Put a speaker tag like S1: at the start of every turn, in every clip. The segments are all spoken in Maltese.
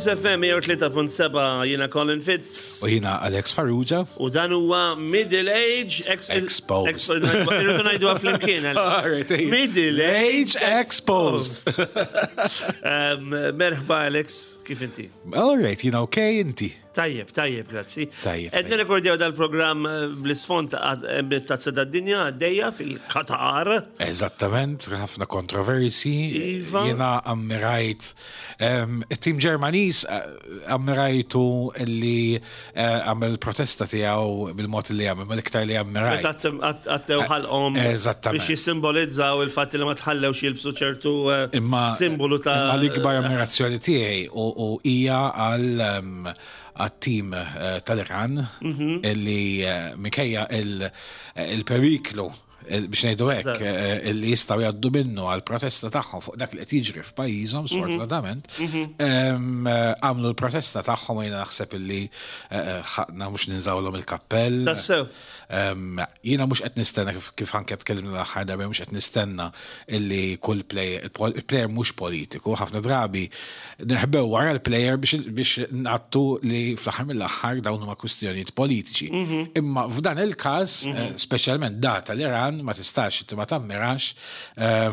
S1: Cruise FM 103.7 jiena Colin Fitz.
S2: U jiena Alex Farrugia.
S1: U dan huwa Middle Age
S2: Exposed.
S1: Irridu ngħiduha flimkien. Middle
S2: Age Exposed.
S1: Merħba Alex, kif inti?
S2: All right, jiena okay inti.
S1: Tajjeb, tajjeb, grazzi.
S2: Tajjeb.
S1: Qed nirrekordjaw dal-programm eh, bl-isfond eh, tazza tad-dinja għaddejja fil-Qatar.
S2: Eżattament, ħafna kontroversi.
S1: Iva.
S2: Jiena ammirajt it-tim Ġermaniż eh, ammirajtu li għamel protesta tiegħu bil-mod li għamel, mal-iktar li ammirajt.
S1: Meta għattew ħalqhom
S2: Eżattament.
S1: biex jissimbolizzaw il-fatt li ma tħallewx jilbsu ċertu simbolu ta'
S2: Imma l-ikbar ammirazzjoni tiegħi u hija għal għat-tim eh, tal-Iran mhm. illi eh, minkejja eh, il-periklu biex ngħidu hekk illi jistgħu jgħaddu minnu għal protesta tagħhom fuq dak li qed jiġri f'pajjiżhom mhm. sfortunatament mhm. għamlu l-protesta tagħhom jiena naħseb illi ħaqna mhux ninżawlhom il-kappell.
S1: Tassew.
S2: Jiena mhux qed nistenna kif anke tkellimna l-aħħar darba mhux qed nistenna illi kull player, il-player mhux politiku, ħafna drabi neħbew wara l-player biex ngħattu li fl-aħħar mill-aħħar dawn huma kwistjonijiet politiċi. Mhm. Imma f'dan il-każ, mhm. eh, speċjalment data l-Iran ma tistax inti ma tammirax.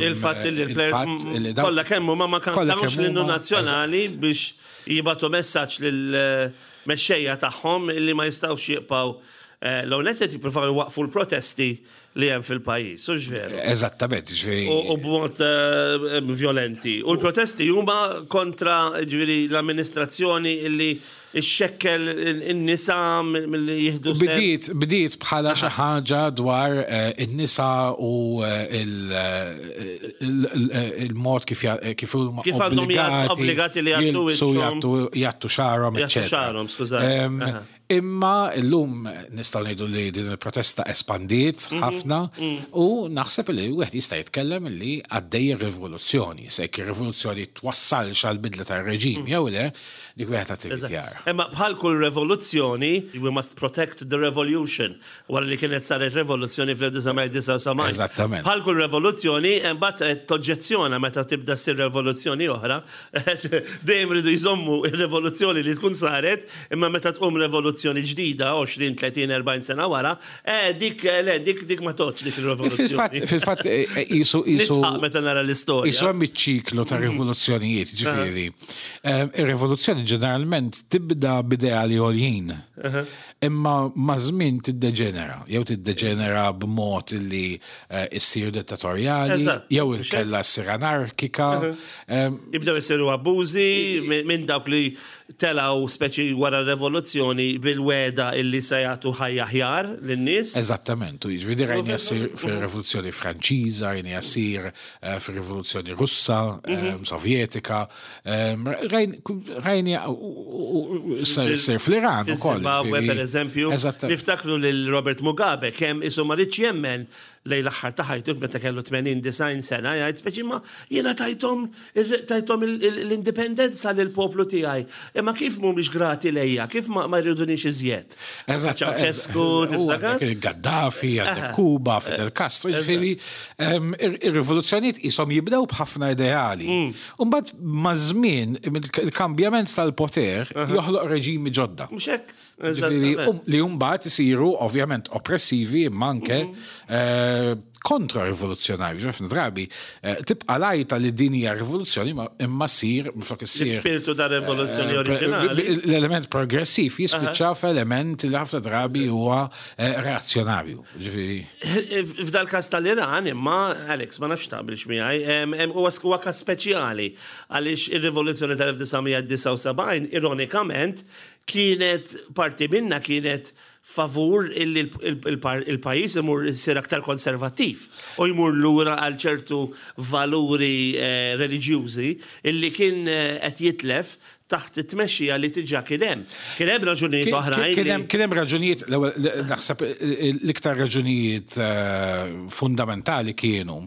S1: Il-fatt li l-players kollha kemm huma ma kantawx l-innu nazzjonali biex jibatu messaġġ lil eh, mexxejja tagħhom li ma jistgħux jibqgħu eh, l-għonet qed jippruvaw iwaqqfu l-protesti li hemm fil-pajjiż, u veru.
S2: Eżattament, ġifieri.
S1: U b'mod eh, violenti. U l-protesti huma kontra ġifieri l-amministrazzjoni illi xxekkel in-nisa milli jieħdu.
S2: Bdiet, bdiet bħala xi ħaġa dwar eh, in-nisa u eh, il-mod kif kif huma
S1: kif għandhom obbligati li
S2: jgħattu jgħattu xagħarhom,
S1: eċċetera. Xagħarhom, skużani.
S2: Imma llum nistgħu ngħidu li din il-protesta espandiet mhm. ħafna mhm. u naħseb li wieħed jista' jitkellem li għaddej rivoluzzjoni. Se jekk ir-rivoluzzjoni twassalx għal bidla tar-reġim mhm. jew le, dik wieħed għad irid jara.
S1: Imma bħal kull revoluzzjoni, we must protect the revolution. Wara li kienet saret revoluzzjoni fl-1979.
S2: Eżattament.
S1: Bħal kull revoluzzjoni, imbagħad toġġezzjona meta tibda ssir revoluzzjoni oħra, Dejjem iridu jżommu r-revoluzzjoni li tkun saret, imma meta tqum revoluzzjoni ġdida 20, 30, 40 sena wara, eh dik eh, le dik dik ma tgħoddx dik
S2: ir-revoluzzjoni. Fil-fatt eh, eh, qisu
S1: qisu meta nara l-istorja.
S2: Qisu hemm iċ-ċiklu ta' mhm. rivoluzzjonijiet, ġifieri. Ir-rivoluzzjoni ġeneralment tibda b'ideali għoljin. Imma maż-żmien tiddeġenera, jew tiddeġenera b'mod li issir dittatorjali, jew inkella ssir anarkika.
S1: Jibdew isiru abbużi minn dawk li telgħu speċi wara r-revoluzzjoni bil-wegħda illi se jagħtu ħajja aħjar lin-nies.
S2: Eżattament, u jiġifieri rajniha ssir fir-Rivoluzzjoni Franċiża, rajniha ssir fir-Rivoluzzjoni Russa, Sovjetika, Rajni sir fl-Iran
S1: ukoll. Zimbabwe per eżempju. Niftakru lil Robert Mugabe kemm isu ma ridx jemmen lejn l-aħħar ta' ħajtu meta kellu 80 sena jgħid speċi ma jiena tajthom tajthom l-indipendenza lil poplu tiegħi. Imma kif mhumiex grati lejja, kif ma jridunix iżjed?
S2: Eżatt.
S1: Ceausescu,
S2: tiftakar? Gaddafi, għandek Kuba, Fidel Castro, ġifieri ir-rivoluzzjonijiet qishom jibdew b'ħafna ideali. Mm. U mbagħad maż-żmien il-kambjament tal-poter joħloq reġimi ġodda.
S1: Mhux hekk?
S2: Um, li mbagħad isiru ovvjament oppressivi imma anke mhm. eh, kontra-rivoluzzjonarju. Ħafna drabi eh, tibqa' lajta li din hija rivoluzzjoni imma ssir
S1: flok issir. L-ispirtu ta' rivoluzzjoni eh, oriġinali.
S2: L-element progressiv jispiċċa f'element li ħafna drabi huwa reazzjonarju. Ġifieri.
S1: F'dal każ tal-Iran imma, Alex, ma nafx taqbilx miegħi, huwa każ speċjali għaliex ir-rivoluzzjoni tal-1979 ironikament kienet parti minnha kienet favur illi il-pajjiż imur isir aktar konservattiv u jmur lura għal ċertu valuri eh, reliġjużi illi kien eh, qed jitlef taħt it-tmexxija li diġà kien hemm. Kien hemm raġunijiet oħrajn.
S2: Kien hemm raġunijiet, l-ewwel naħseb l-iktar raġunijiet eh, fundamentali kienu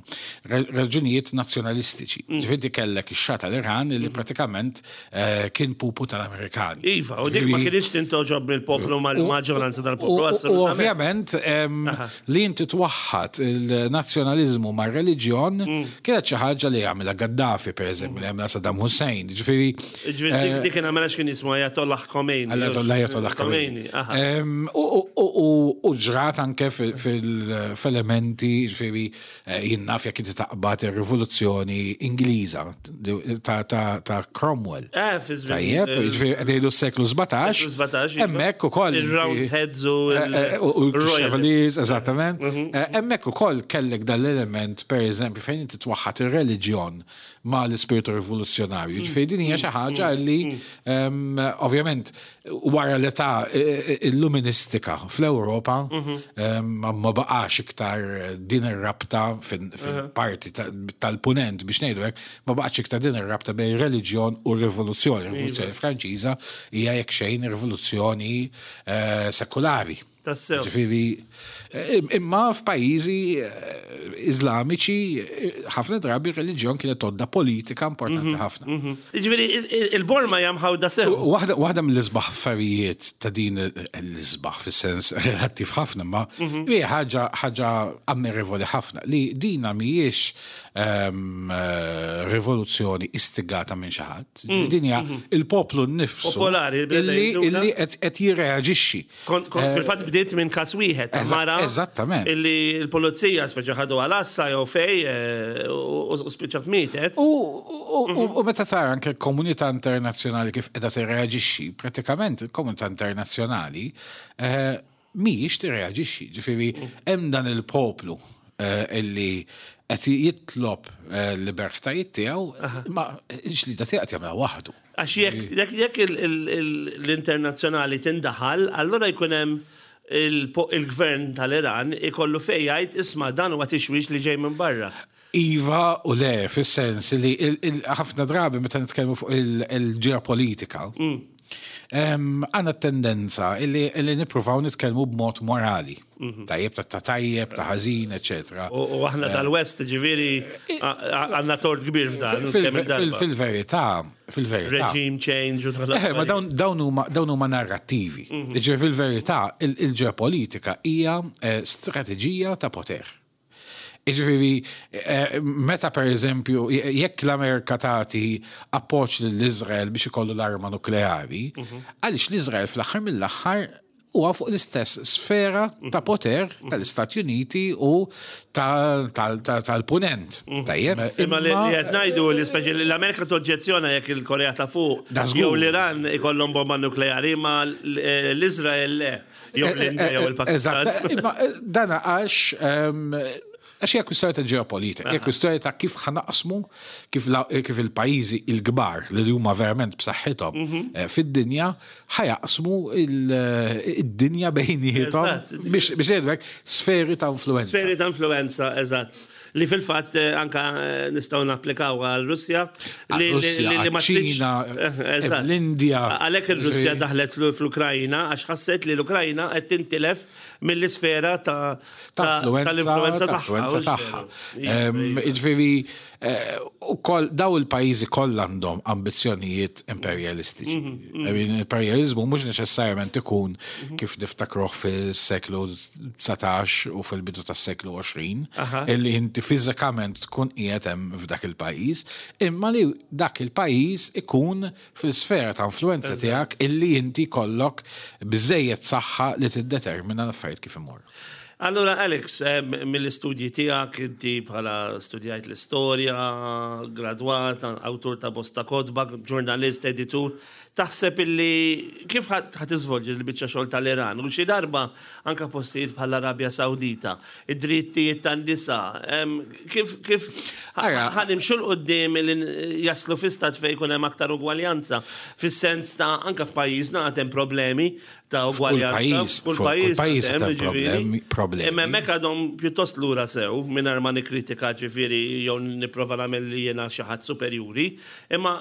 S2: raġunijiet nazzjonalistiċi. Mm. Ġifieri kellek ix-Xah tal-Iran li mm. pratikament eh, kien pupu tal-Amerikani.
S1: Iva, u dik ma kienx tintoġob mill-poplu mal-maġġoranza tal-poplu.
S2: U ovvjament Li inti twaħħad il-nazzjonaliżmu mar-reliġjon mm. kienet xi ħaġa li għamilha Gaddafi, pereżempju, li għamilha Saddam Hussein. Ġifieri.
S1: Ġifieri eh, Dik kien għamela x'kien jismu Ayatollah Khomeini.
S2: Ayatollah Khomeini. U ġrat anke fil-elementi, ġifieri eh, jien naf jekk inti taqbad ir-rivoluzzjoni Ingliża ta' Cromwell.
S1: Eh, fi żmien.
S2: Tajjeb, ġifieri qed ngħidu s-seklu 17.
S1: 17. Iva.
S2: Hemmhekk ukoll.
S1: Il-Roundheads u
S2: eh, l-Chevaliers, eżattament. Mhm. Hemmhekk ukoll kellek dal-element, pereżempju, fejn inti twaħħad ir-reliġjon ma' l-ispirtu rivoluzzjonarju. Mm. Ġifieri din hija xi ħaġa mm. li mm. ovvjament wara l-età e, e, illuministika fl-Ewropa mhm. ma baqax iktar din ir-rabta fil-parti tal-punent biex ngħidu hekk, ma baqax iktar din ir-rabta bejn reliġjon u rivoluzzjoni. Rivoluzzjoni iva. Franċiża hija jekk xejn rivoluzzjoni eh, sekulari.
S1: Tassew.
S2: Ġifieri, eh, imma f'pajjiżi eh, Iżlamiċi eh, ħafna drabi r-reliġjon kienet todda politika importanti mhm, ħafna.
S1: Mhm. Ġifieri il-Borma hija mħawda sew.
S2: Waħda mill-isbaħ affarijiet ta' din l-isbaħ fis-sens relattiv ħafna, ma mhm. hija ħaġa ħaġa ammirevoli ħafna li dina mhijiex ehm, rivoluzzjoni istigata minn xi ħadd. Mm. Din hija il-poplu nnifsu.
S1: Popolari,
S2: illi qed jirreaġixxi.
S1: Kont eh, fil-fatt bdiet minn każ wieħed ta' mara.
S2: Eżattament.
S1: Illi l-pulizija speċa ħadu għal-assa jew fej eh, u spiċċat mietet.
S2: U meta tara anke l-komunità internazzjonali kif qiegħda tirreaġixxi, pratikament il-komunità internazzjonali eh, mhijiex tirreaġixxi. Ġifieri mm. hemm dan il-poplu illi qed jitlob l-libertajiet tiegħu, ma l-ġlida tiegħu qed jagħmilha waħdu.
S1: Għax jekk jekk l-internazzjonali tindaħal, allura jkun hemm il-gvern tal-Iran ikollu fejn jgħid isma' dan huwa tixwix li ġej minn barra.
S2: Iva u le, fis-sens li ħafna drabi meta nitkellmu fuq il-ġeopolitika, mm. għandna tendenza li nippruvaw nitkellmu b'mod morali. Mhm. Tajjeb ta' tajjeb, ta' ħażin, eċetera.
S1: U aħna eh. tal-West, ġifieri għandna tort kbir f'dan.
S2: Fil-verità, fil-verità.
S1: Regime change u
S2: eh, Ma dawn huma narrattivi. Mhm. Ġifieri fil-verità, il-ġeopolitika hija eh, strateġija ta' poter. Jiġifieri, meta pereżempju, jekk l-Amerika tagħti appoġġ lill-Iżrael biex ikollu l-arma nukleari, mhm. għaliex l-Iżrael fl-aħħar mill-aħħar huwa fuq l-istess sfera ta' mhm. poter mhm. tal-Istati Uniti u tal-Punent. Tajjeb.
S1: Imma li qed ngħidu li speċi l-Amerika toġġezzjona jekk il-Korea ta' fuq jew l-Iran ikollhom bomba nukleari, ma l-Iżrael le. Jew eh, l-Indja jew eh, il-Pakistan.
S2: Eżatt, imma eh, dana għax ehm, għax hija kwistjoni ta' ġeopolitika, hija kwistjoni ta' kif ħanaqsmu kif, kif il-pajjiżi il-kbar li huma verament b'saħħithom mhm. fid-dinja ħajaqsmu id-dinja bejniethom biex jgħidlek sferi ta' influenza.
S1: Sferi ta' influenza, eżatt li fil-fatt eh, anka eh, nistgħu napplikaw għal Russja.
S2: Li ma Ċina, eh, l-Indja.
S1: Għalhekk ir-Russja daħlet fl-Ukrajna għax ħasset li l-Ukrajna qed tintilef mill-isfera ta'
S2: tal-influenza tagħha. Jiġifieri Eh, u koll daw il-pajjiżi kollha għandhom ambizzjonijiet imperjalistiċi. Mhm, mhm. Imperjalizmu mhux neċessarjament ikun mhm. kif niftakruh fis-seklu 19 u fil-bidu tas-seklu 20, illi inti fiżikament tkun qiegħed hemm f'dak il-pajjiż, imma li dak il-pajjiż ikun fil-sfera ta' influenza tiegħek illi inti kollok biżejjed saħħa li tiddetermina l-affarijiet kif imorru.
S1: Allura Alex, eh, mill-istudji tiegħek inti bħala studjajt l-istorja, gradwat, awtur ta' bosta kotba, ġurnalist, editur, taħseb illi kif ħa tiżvolġi l-biċċa xogħol tal-Iran u xi darba anka postijiet bħall-Arabja Sawdita, id-drittijiet tan-nisa, kif kif ħa nimxu 'l quddiem li jaslu fi stat fejn jkun hemm aktar ugwaljanza, fis-sens ta' anka f'pajjiżna għad hemm problemi ta'
S2: ugwaljanza. F'kull pajjiż. F'kull pajjiż hemm problemi.
S1: Imma hemmhekk għadhom pjuttost lura sew mingħajr ma nikkritika ġifieri jew nipprova nagħmel li jiena xi ħadd superjuri, imma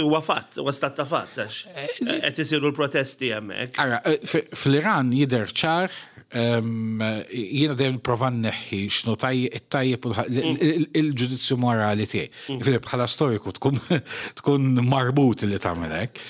S1: huwa fatt, huwa stat ta' fatt għax eh, qed isiru l-protesti hemmhekk.
S2: Ara, eh, fl-Iran jidher ċar jiena dejjem prova nneħħi x'nu tajjeb mm. il-ġudizzju morali tiegħi. Mm. Filip bħala storiku tkun tkun marbut li tagħmel hekk.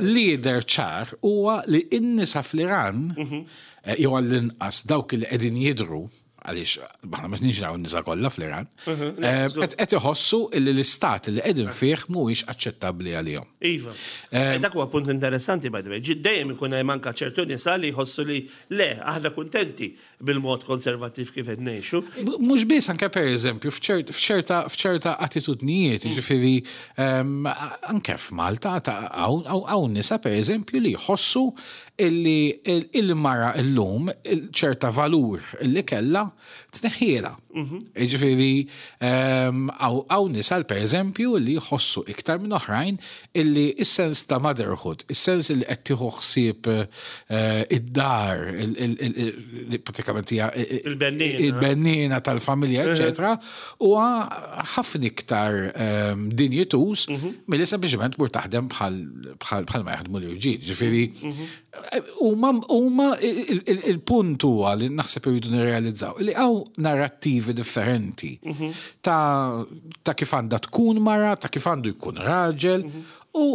S2: Lider ċar huwa li n-nisa fl-Iran mhm. eh, jew għall-inqas dawk li qegħdin jidhru. għaliex aħna ma nix nisa kollha fl-Iran, mhm, eh, qed iħossu li l-istat li qegħdin eh. fih mhuwiex aċċettabbli għalihom.
S1: Iva. Eh, dak huwa punt interessanti by the way. Dejjem ikun hemm anke ċertu nisa li jħossu li le aħna kuntenti bil-mod konservattiv kif qed ngħixu.
S2: Mhux biss anke pereżempju f'ċerta attitudnijiet, mm. ġifieri ehm, anke f'Malta hawn nisa pereżempju li jħossu illi il-mara illum ċerta valur illi kellha tneħħielha. Mhm. Jiġifieri ehm, hawn nisa per eżempju li jħossu iktar minn oħrajn illi is-sens ta' motherhood, is-sens li qed tieħu ħsieb eh, id-dar, pratikament hija il-bennina tal-familja, mhm. eċetera, huwa ħafna iktar ehm, dinjituż mhm. milli sempliċement mur taħdem bħal ma jaħdmu l-irġiel. Ġifieri mhm. huma il-punt huwa li naħseb irridu nirrealizzaw li hawn narrattivi differenti mhm. ta' kif għandha tkun mara, ta' kif għandu jkun raġel u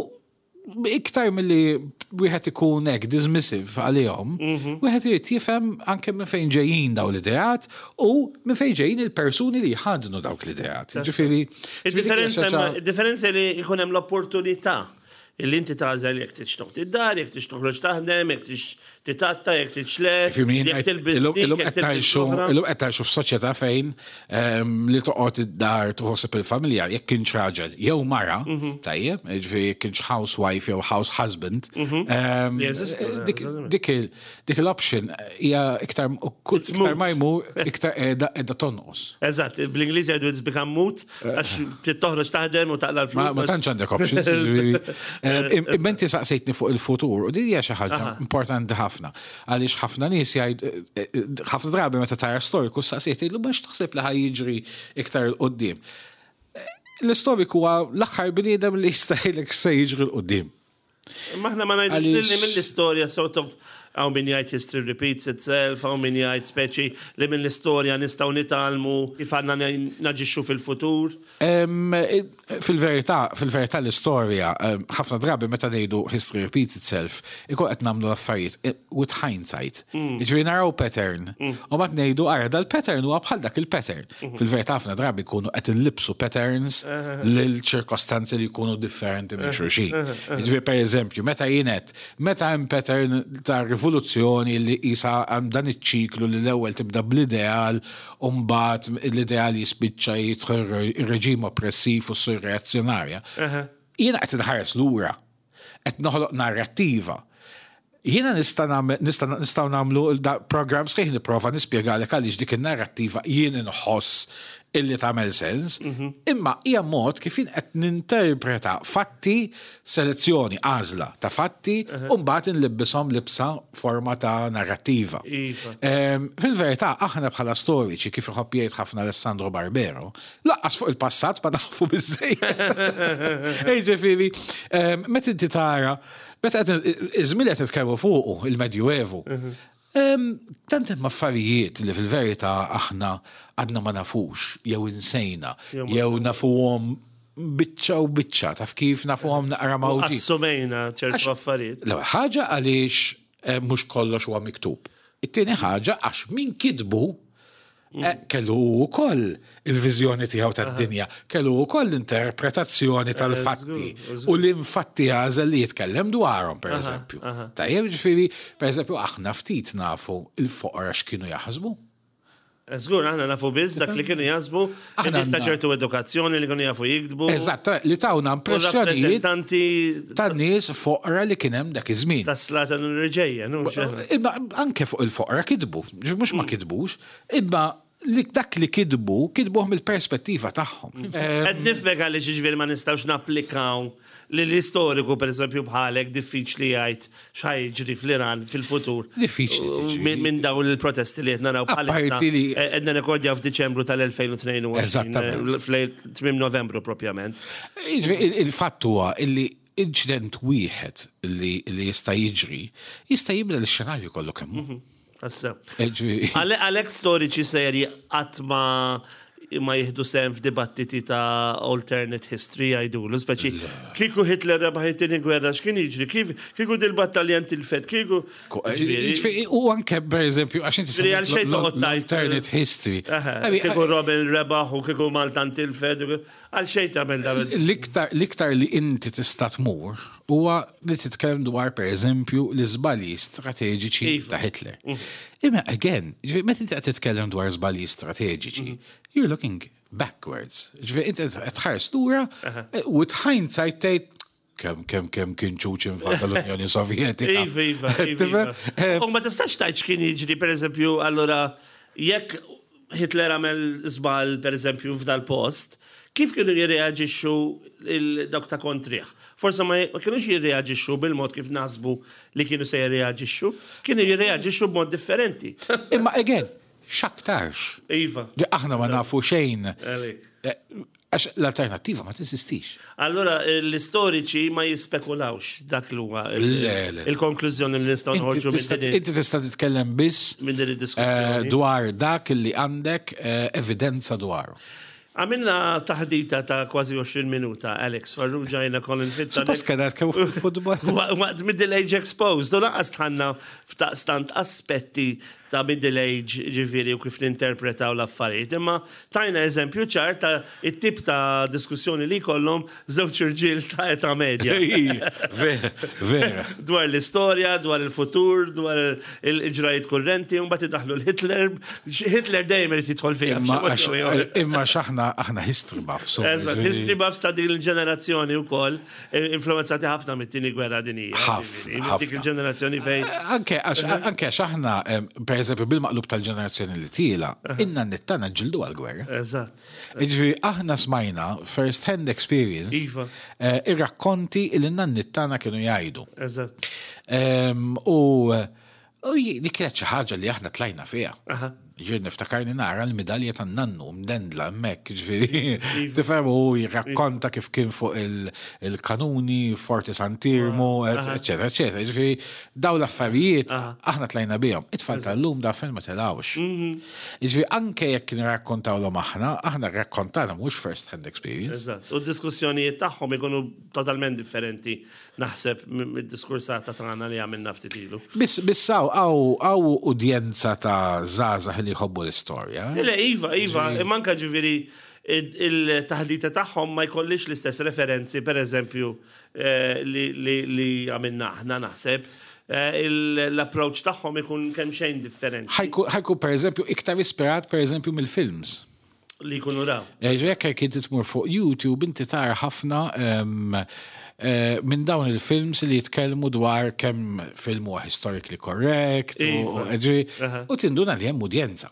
S2: iktar milli wieħed ikun hekk dismissive għalihom, mhm. wieħed irid jifhem anke minn fejn ġejjin dawn l-ideat u minn fejn ġejjin il-persuni li jħadnu dawk l-ideat. Ġifieri.
S1: Il-differenza li jkun hemm l-opportunità illi inti tagħżel jekk tridx toqgħod id-dar, jekk tridx toħroġ taħdem, jekk tridx titatta, jekk tridx le, jekk tilbis.
S2: Illum qed ngħixu f'soċjetà fejn Ehm, li toqgħod id-dar tħossib il-familja jekk kienx raġel jew mara, mhm. tajjeb, jiġifieri jekk kienx housewife jew house husband. Mhm. Ehm, dik l-option hija iktar iktar ma jmur iktar qiegħda qiegħda tonqos.
S1: Eżatt, bl-Ingliż jgħidu it's become moot eh. għax toħroġ taħdem u taqla l-flus.
S2: Ma tantx għandek options. Ehm, imma inti saqsejtni fuq il-futur u din hija xi ħaġa importanti ħafna. Għaliex ħafna nies jgħid, eh, eh, ħafna drabi meta tara storiku saqsiet jgħidlu ma x'taħseb li ħaj jiġri iktar 'il quddiem. Eh, l-istoriku huwa l-aħħar bniedem li jista' jgħidlek se jiġri 'l quddiem.
S1: Imma aħna ma ngħidux li mill-istorja sort of hawn min jgħid history repeats itself, hawn min jgħid speċi li mill-istorja nistgħu nitgħallmu kif għandna naġixxu fil-futur.
S2: Fil-verità, fil-verità l-istorja, ħafna drabi meta ngħidu history repeats itself, ikun qed nagħmlu l-affarijiet eh, with hindsight. Mm. Jiġifieri naraw pattern. Mm. U mbagħad ngħidu ara dal-pattern huwa bħal dak il-pattern. Mm-hmm. Fil-verità ħafna drabi jkunu qed inlibsu patterns uh-huh. lil ċirkostanzi li jkunu differenti minn uh-huh. xulxin. Uh-huh. Jiġifieri pereżempju, meta jienet, meta hemm pattern ta' rivoluzzjoni li qisha hemm dan iċ-ċiklu li l-ewwel tibda bl-ideal u mbagħad l-ideal jispiċċa jidħol ir-reġim oppressiv u s-surreazzjonarja. Jiena qed inħares lura, qed noħloq narrattiva. Jiena nista' nistgħu nagħmlu programm sħiħ nipprova nispjegalek għaliex dik in-narrattiva jien inħoss illi tagħmel sens, mhm. imma hija mod kif jien qed ninterpreta fatti selezzjoni, għażla ta' fatti u mbagħad inlibbishom libsa forma ta' narrattiva. Iva. Ehm, fil-verità, aħna bħala storiċi kif iħobb jgħid ħafna Alessandro Barbero, laqqas fuq il-passat ma nafu biżejjed. Ġifieri, ehm, meta inti tara, meta qed iż-żmien qed nitkellmu fuqu il-Medjuevu, mhm. ehm, tant hemm affarijiet li fil-verità aħna għadna ma nafux, jew insejna, jew nafuhom biċċa u biċċa, taf kif nafuhom naqra mawġi.
S1: Assumejna ċertu affarijiet.
S2: L-ewwel ħaġa għaliex eh, mhux kollox huwa miktub. It-tieni ħaġa għax min kitbu eh, mm. kellu wkoll il-viżjoni tiegħu tad-dinja, kellu wkoll l-interpretazzjoni eh, tal-fatti u l-infatti għażel li jitkellem dwarhom pereżempju. Tajjeb ġifieri, pereżempju aħna ftit nafu il-foqra x'kienu jaħsbu.
S1: Żgur, aħna nafu biss dak li kienu jaħsbu, aħna ta' ċertu edukazzjoni li kienu jafu jiktbu.
S2: Eżatt, li tawna impressjonijiet ta' nies foqra li kien hemm dak iż-żmien.
S1: Ta' slata n-reġejja,
S2: Imma anke fuq il-foqra kitbu, mhux ma mm. kitbux, imma li dak li kitbu, kitbuh mill-perspettiva tagħhom.
S1: Mm. Qed nifhmek għaliex jiġifieri ma nistgħux napplikaw Li l-istoriku, per eżempju, bħalek diffiċli jgħid x'ħa jiġri fl-Iran fil-futur.
S2: Diffiċli tiġri.
S1: Minn dawn il-protesti li qed naraw bħalissa. Qed nirrekordjaw f'Diċembru tal-2022.
S2: Eżattament.
S1: Fl tmiem Novembru propjament.
S2: Il-fatt huwa illi inċident wieħed li jista' jiġri jista' jibdel ix-xenarju kollu kemm hu.
S1: Mhm. Għalhekk storiċi serji qatt ma ma jieħdu sehem f'dibattiti ta' alternate history jgħidulu, speċi kieku Hitler rebaħ it-tieni gwerra x'kien jiġri, kif kieku dil-battalja ntilfet, kieku.
S2: U anke per eżempju, għax inti alternate history.
S1: Kieku Rommel rebaħ u kieku Malta ntilfet, għal xejn tagħmel dan.
S2: L-iktar li inti tista' tmur huwa li titkellem dwar per eżempju l-iżbalji strateġiċi iva. ta' Hitler. Mm. Imma again, meta inti qed titkellem dwar żbalji strateġiċi, mm. you're looking backwards. Ġifieri inti qed tħares lura eh, with hindsight tgħid kemm kemm kemm kien ċuċ invada l-Unjoni Sovjetika.
S1: Iva, iva, iva. iva. Eh, U ma tistax tgħid x'kien jiġri pereżempju allura jekk Hitler għamel żball pereżempju f'dal post, kif kienu jirreaġixxu dawk ta' kontrih? Forse ma kienux jirreaġixxu bil-mod kif naħsbu li kienu se jirreaġixxu, kienu jirreaġixxu b'mod differenti.
S2: Imma again, x'aktarx.
S1: Iva.
S2: Aħna ma nafu xejn. Eh, għax l-alternattiva ma teżistix.
S1: Allora l-istoriċi ma jispekulawx dak li huwa il-konklużjoni li nistgħu noħorġu
S2: minn Inti tista' titkellem biss
S1: minn din id-diskussjoni
S2: eh, dwar dak li għandek eh, evidenza dwaru.
S1: Għamilna taħdita ta' kważi 20 minuta, Alex Farrugia jiena Colin Fitz.
S2: Suppost kena tkellmu fuq il-futbol.
S1: Waqt Middle Age Exposed, u lanqas tħanna f'taqstant aspetti ta' middle age ġifieri u kif ninterpretaw l-affarijiet, imma tajna eżempju ċar ta' it-tip ta' diskussjoni li jkollhom żewġ irġiel ta' età medja.
S2: Vera.
S1: Dwar l-istorja, dwar il-futur, dwar il-ġrajiet kurrenti, u mbagħad idaħlu l-Hitler. Hitler dejjem irid jidħol fiha.
S2: Imma x'aħna aħna history buffs.
S1: Eżatt, history buffs ta' din il-ġenerazzjoni wkoll. Influenzati ħafna mit-tieni gwerra dinjija.
S2: Ħafna.
S1: Dik il-ġenerazzjoni fejn.
S2: Anke għax aħna, per eżempju, bil-maqlub tal-ġenerazzjoni li tiela, inna nittana ġildu għal-gwerra.
S1: Eżatt.
S2: Ġifieri aħna smajna first hand experience.
S1: Iva.
S2: Eh, ir-rakkonti li n-nannittana kienu jgħidu.
S1: Eżatt.
S2: U U li kienet xi ħaġa li aħna tlajna fiha. Ġifieri niftakarni nara l-midalja tan-nannu mdendla hemmhekk, ġifieri. Iva. Tifhem u jirrakkonta kif kien fuq il-kanuni, Forti Sant'Irmu, eċetera, eċetera. Ġifieri daw l-affarijiet aħna tlajna bihom. It-tfal tal-lum da fejn ma telgħux. Mhm. Ġifieri anke jekk nirrakkontawlhom aħna, aħna rrakkontana mhux first hand experience.
S1: Eżatt. U d-diskussjonijiet tagħhom ikunu totalment differenti naħseb mid-diskursata tagħna li għamilna ftit ilu.
S2: Biss biss hawn hawn udjenza ta' żgħażagħ li jħobbu l-istorja.
S1: Eh? Le, iva, iva, manka ġifieri il-taħdita tagħhom ma jkollix l-istess referenzi, per eżempju, eh, li għamilna aħna naħseb. Eh, l-approach tagħhom ikun kemm xejn differenti.
S2: Ħajku per eżempju iktar ispirat per eżempju mill-films.
S1: Li jkunu raw.
S2: Eh, jekk jekk inti tmur fuq YouTube inti tara ħafna eh, minn dawn il-films li jitkellmu dwar kemm film huwa historically correct u iva. tinduna li hemm udjenza.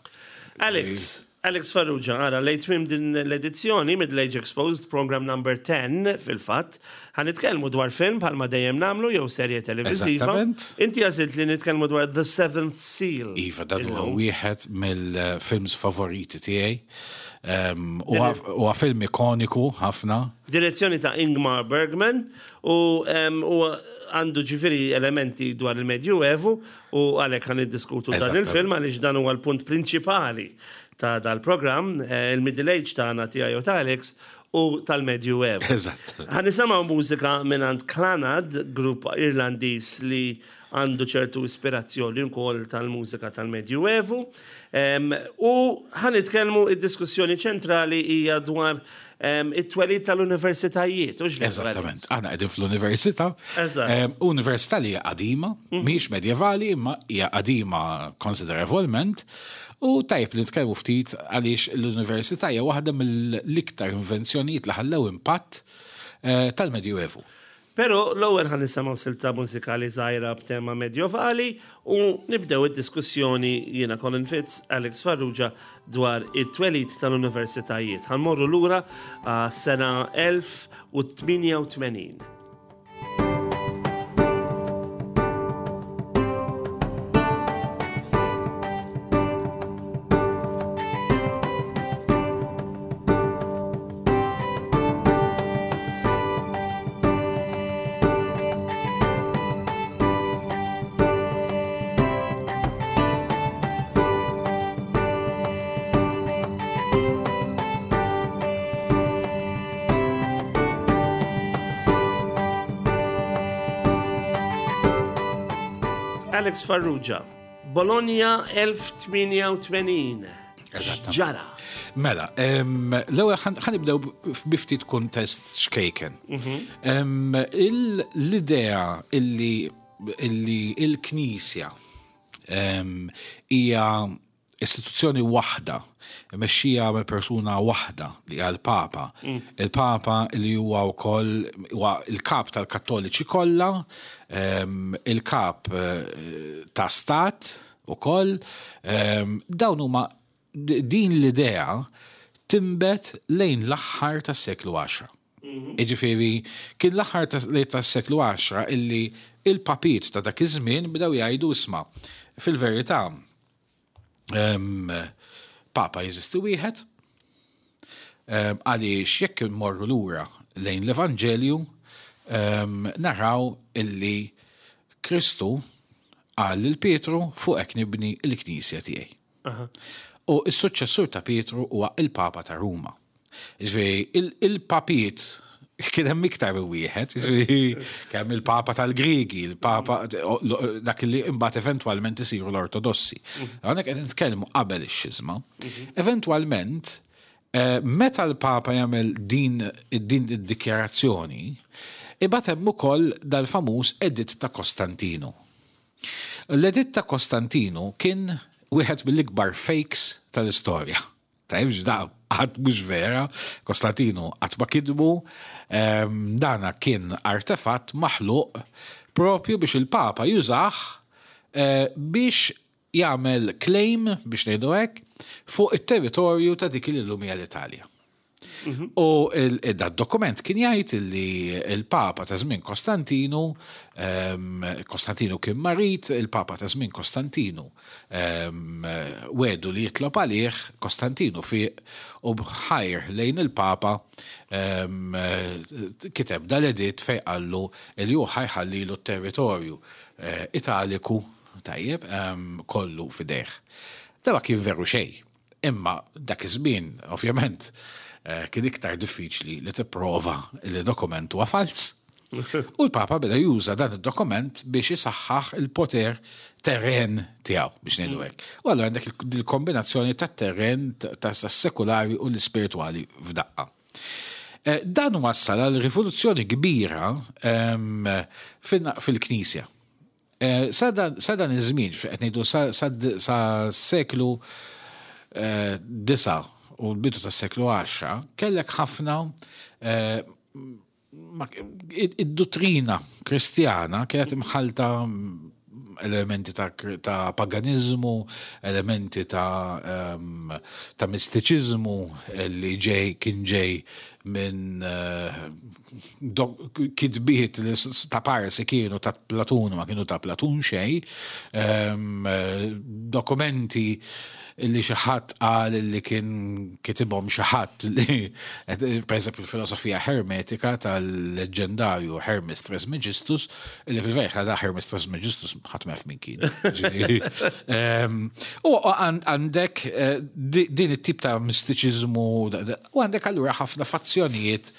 S1: Alex, Alex Farrugia, għara, lejt tmim din l-edizzjoni Middle Age Exposed, program number 10 fil-fatt, ħan nitkellmu dwar film bħalma dejjem namlu jew serje televiżiva. Inti għażilt li nitkellmu dwar The Seventh Seal.
S2: Iva, dan huwa wieħed mill-films favoriti tiegħi. Huwa film ikoniku ħafna.
S1: Direzzjoni ta' Ingmar Bergman u għandu ġifieri elementi dwar il-Medjuevu u għalhekk ħan niddiskutu dan il-film għaliex dan huwa l-punt prinċipali ta' dal-programm, eh, il-Middle Age tagħna tiegħi u ta' Alex u tal-Medju Evu.
S2: Eżatt.
S1: Ħa nisimgħu mużika mingħand Clannad, grupp Irlandiż li għandu ċertu ispirazzjoni wkoll tal-mużika tal-Medju Evu. U ħa nitkellmu id-diskussjoni ċentrali hija dwar it-twelid tal-universitajiet.
S2: Eżattament. Aħna qegħdin fl-università.
S1: Eżatt.
S2: Università li hija qadima, mhm. mhijiex medjevali, imma hija qadima konsiderevolment. U tajjeb li nitkellmu ftit għaliex l-università hija waħda mill-iktar invenzjonijiet li ħallew impatt eh, tal-Medjuevu.
S1: Pero l-ewwel ħa nisimgħu silta mużikali żgħira b'tema medjovali u nibdew id-diskussjoni jiena Colin Fitz, Alex Farrugia dwar it-twelid tal-universitajiet. Ħa mmorru lura għas-sena 1088. Alex Farrugia, Bologna 1088. Ġara.
S2: Mela, l-ewwel ħa nibdew bi ftit kuntest xkejken. L-idea illi il-Knisja hija istituzzjoni waħda, mexxija minn persuna waħda li hija l-Papa. Il-Papa li huwa wkoll huwa il-kap tal-Kattoliċi kollha, il-kap ta' stat ukoll, dawn huma din l-idea timbet lejn l-aħħar tas-seklu 10. Jiġifieri kien l-aħħar tas-seklu 10 illi il-papiet ta' dak iż-żmien bdew jgħidu isma' fil-verità Papa jeżisti wieħed, għaliex jekk immorru lura lejn l-Evanġelju naraw illi Kristu qal lil Pietru fuqek nibni l-knisja tiegħi. U s-suċċessur ta' Pietru huwa il-Papa ta' Ruma. Ġifieri il-papiet kien hemm iktar minn wieħed, ġifieri kemm il-Papa tal-Griegi, il-Papa dak li imbagħad eventwalment isiru l-Ortodossi. Hawnhekk qed nitkellmu qabel ix-xiżma. Eventwalment, meta l-Papa jagħmel din din id-dikjarazzjoni, imbagħad hemm ukoll dal-famuż Editt ta' Kostantinu. L-Editt ta' Kostantinu kien wieħed mill-ikbar fakes tal-istorja. Tajb, da qatt mhux vera, Kostantinu qatt ma kitbu, dana kien artefatt maħluq propju biex il-Papa jużah biex jagħmel claim, biex ngħidu hekk, fuq it-territorju ta' dik li llum hija l-Italja. U da dokument kien jgħid li il-Papa ta' żmien Kostantinu, Kostantinu kien marid, il-Papa ta' żmien Kostantinu wegħdu li jitlob għalih, Kostantinu fiq u b'ħajr lejn il-Papa kiteb dal-editt fejn qallu li hu ħa jħallilu t-territorju Italiku tajjeb kollu f'idejh. Da ma kien veru xejn. Imma dak iż-żmien, ovvjament, kien iktar diffiċli li tipprova li dokument huwa falz. U l-Papa beda juża dan id-dokument biex isaħħaħ il-poter terren tiegħu biex ngħidu hekk. U allura għandek il-kombinazzjoni tat-terren tas-sekulari u l-ispiritwali f'daqqa. Dan wassal għal rivoluzzjoni kbira fil-Knisja. Sa dan iż-żmien, qed ngħidu sa seklu 9 u l-bidu tas-seklu 10, kellek ħafna id-dottrina kristjana kienet imħalta elementi ta' paganizmu, elementi ta' mistiċizmu li ġej kien ġej minn kitbiet li ta' parsi kienu ta' Platun ma kienu ta' Platun xejn, dokumenti li xi ħadd qal li kien kitibhom xi ħadd li per eżempju il-filosofija hermetika tal-leġendarju Hermes Trismegistus li fil-verità da Hermes Trismegistus ħadd ma jaf min kien. U għandek din it-tip ta' mistiċiżmu u għandek allura ħafna fazzjonijiet